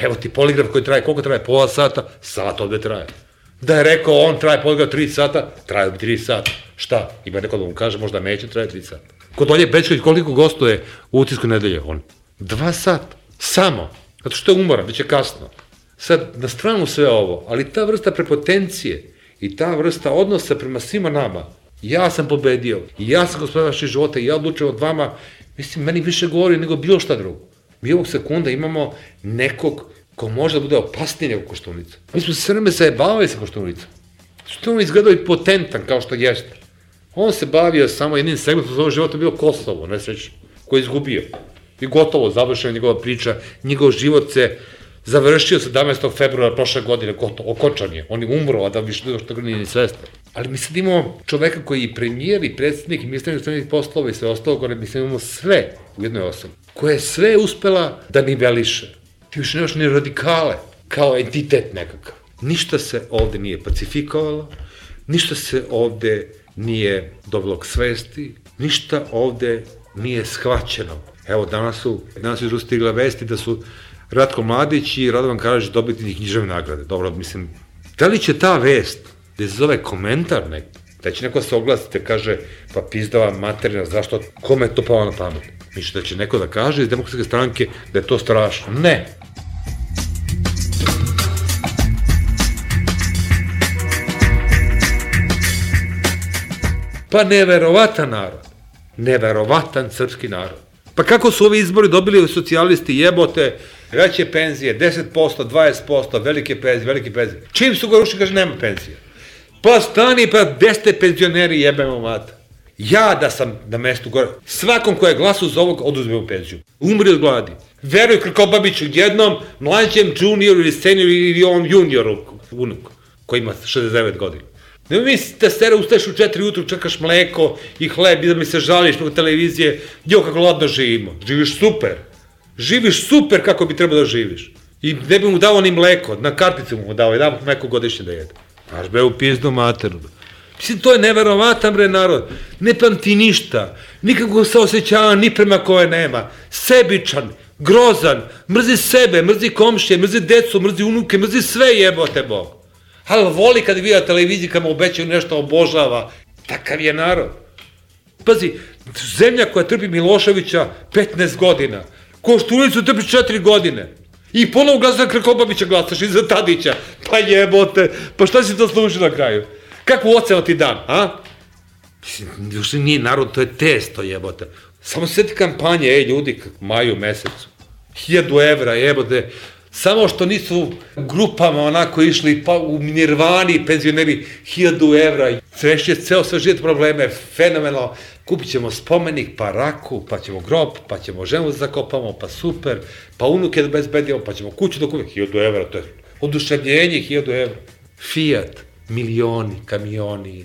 Evo ti poligraf koji traje, koliko traje? Pola sata? Sat ovde traje. Da je rekao on traje poligraf tri sata, traje bi tri sata. Šta? Ima neko da mu kaže, možda neće traje tri sata. Kod Olje Bećković koliko gostuje u Utisku nedelje? On dva sata. Samo. Zato što je umoran, već je kasno. Sad, na stranu sve ovo, ali ta vrsta prepotencije i ta vrsta odnosa prema svima nama, ja sam pobedio, i ja sam gospodin vaših života, i ja odlučujem od vama, mislim, meni više govori nego bilo šta drugo. Mi ovog sekunda imamo nekog ko može da bude opasniji nego Koštunica. Mi smo se sve vreme zajebavali sa Koštunicom. Što on izgledao i potentan kao što jeste. On se bavio samo jednim segmentom svojeg života, bilo Kosovo, nesrećno, koji je izgubio. I gotovo, završena njegova priča, njegov život se završio sedamnaestog februara prošle godine, gotovo, okončan je. On je umro, a da više što ga nije ni svestan. Ali mi sad imamo čoveka koji je premijer i predsjednik i ministar inostranih poslova i sve ostalo gore, mi sad imamo sve u jednoj osobi, koja je sve uspela da niveliše. Ti više nemaš ni radikale, kao entitet nekakav. Ništa se ovde nije pacifikovalo, ništa se ovde nije dobilo k svesti, ništa ovde nije shvaćeno. Evo, danas su, danas su stigle vesti da su Ratko Mladić i Radovan Karadžić dobitni književne nagrade. Dobro, mislim, da li će ta vest, da se zove komentar nek, da će neko se oglasiti, kaže, pa pizdava materina, zašto, kome je to palo na pamet? Mislim da će neko da kaže iz Demokratske stranke da je to strašno. Ne. Pa neverovatan narod. Neverovatan srpski narod. Pa kako su ovi izbori dobili socijalisti, jebote, veće penzije, deset posto, dvadeset posto, velike penzije, velike penzije. Čim su ga rušili, kaže, nema penzije. Pa stani, pa gde ste penzioneri, jebemo mata. Ja da sam na mestu gore, svakom ko je glasu za ovog, oduzme u penziju. Umri od gladi. Veruj Krkobabiću, jednom mlađem junioru ili senioru ili ovom junioru, unuku, koji ima šezdeset devet godina. Ne mi da stere ustaješ u četiri ujutru, čekaš mleko i hleb i da mi se žališ preko televizije, jo kako ladno živimo. Živiš super. Živiš super kako bi trebao da živiš. I ne bi mu dao ni mleko, na karticu mu dao, jedan mleko godišnje da jede. Znaš be u pizdu materu. Mislim, to je neverovatan bre narod. Ne pamti ništa, nikako se osjećava ni prema koje nema. Sebičan, grozan, mrzi sebe, mrzi komšije, mrzi decu, mrzi unuke, mrzi sve jebote Bog. Ali voli kad vidi na televiziji kad mu obećaju nešto, obožava. Takav je narod. Pazi, zemlja koja trpi Miloševića petnaest godina, Koštunicu trpiš četiri godine. I ponovo glasaš za Krkobabića, glasaš i za Tadića. Pa jebote, pa šta si to služi na kraju? Kakvu ocenu ti dan, a? Mislim, još nije narod, to je testo, jebote. Samo se sjeti kampanje, ej ljudi, maju mesecu. Hiljadu evra, jebote. Samo što nisu grupama onako išli pa u Nirvani, penzioneri, hiljadu evra. Srešnje ceo sve život probleme, fenomenalno. Kupit ćemo spomenik, pa raku, pa ćemo grob, pa ćemo ženu zakopamo, pa super, pa unuke da bezbedimo, pa ćemo kuću da kupimo. Hiljadu evra, to je oduševljenje, hiljadu evra. Fiat, milioni, kamioni,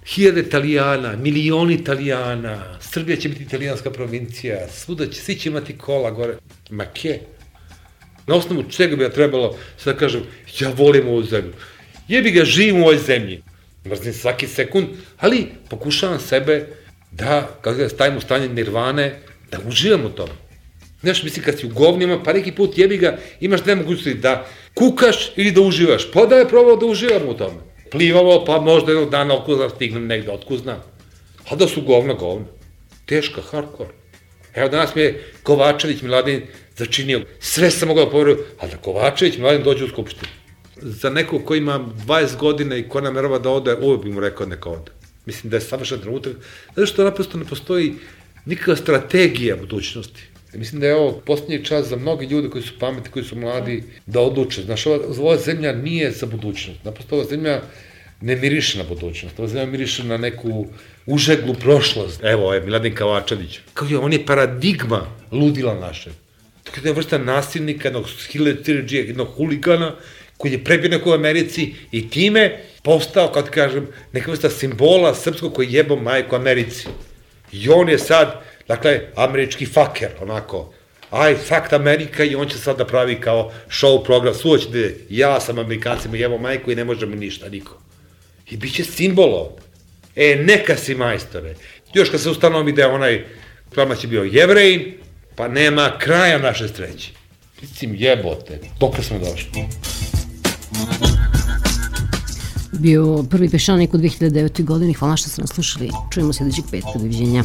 hiljade Italijana, milioni Italijana, Srbija će biti italijanska provincija, svuda će, svi će imati kola gore. Ma ke? Na osnovu čega bi ja trebalo, sad da kažem, ja volim ovu zemlju. Jebi ga, živim u ovoj zemlji. Mrzim svaki sekund, ali pokušavam sebe da, kako da stavim u stanje nirvane, da uživam u tom. Znaš, mislim, kad si u govnima, pa neki put jebi ga, imaš dve mogućnosti da kukaš ili da uživaš. Pa da je probao da uživam u tome. Plivamo, pa možda jednog dana okuzna stignem negde, otkuzna. A da su govna, govna. Teška, hardcore. Evo danas mi je Kovačević Miladin začinio. Sve sam mogao da poverujem, ali da Kovačević Miladin dođe u Skupštinu. Za nekog ko ima dvadeset godina i ko namerava da ode, uvijek bi mu rekao neka ode. Mislim da je savršen trenutak, zato što naprosto ne postoji nikakva strategija budućnosti. Mislim da je ovo posljednji čas za mnogi ljudi koji su pametni, koji su mladi, da odluče. Znaš, ova, ova zemlja nije za budućnost. Naprosto ova zemlja ne miriše na budućnost. Ova zemlja miriše na neku užeglu prošlost. Evo, je Miladin Kovačević. Kao je, on je paradigma ludila naše. To je vrsta nasilnika, jednog hiletirđija, jednog huligana, koji je prebio neko u Americi i time postao, kao ti kažem, neka vrsta simbola srpskog koji jebo majku Americi. I on je sad, dakle, američki faker, onako, I fucked Amerika i on će sad da pravi kao show program, suva će da je, ja sam Amerikancima jebo majku i ne može mi ništa, niko. I bit će simbol ovdje. E, neka si majstore. Još kad se ustanovi da je onaj Kramać je bio Jevrejin, pa nema kraja naše sreće. Mislim, jebote, dok smo došli. Bio prvi Peščanik u dve hiljade devete. godini. Hvala što ste nas slušali. Čujemo sljedećeg petka. Doviđenja.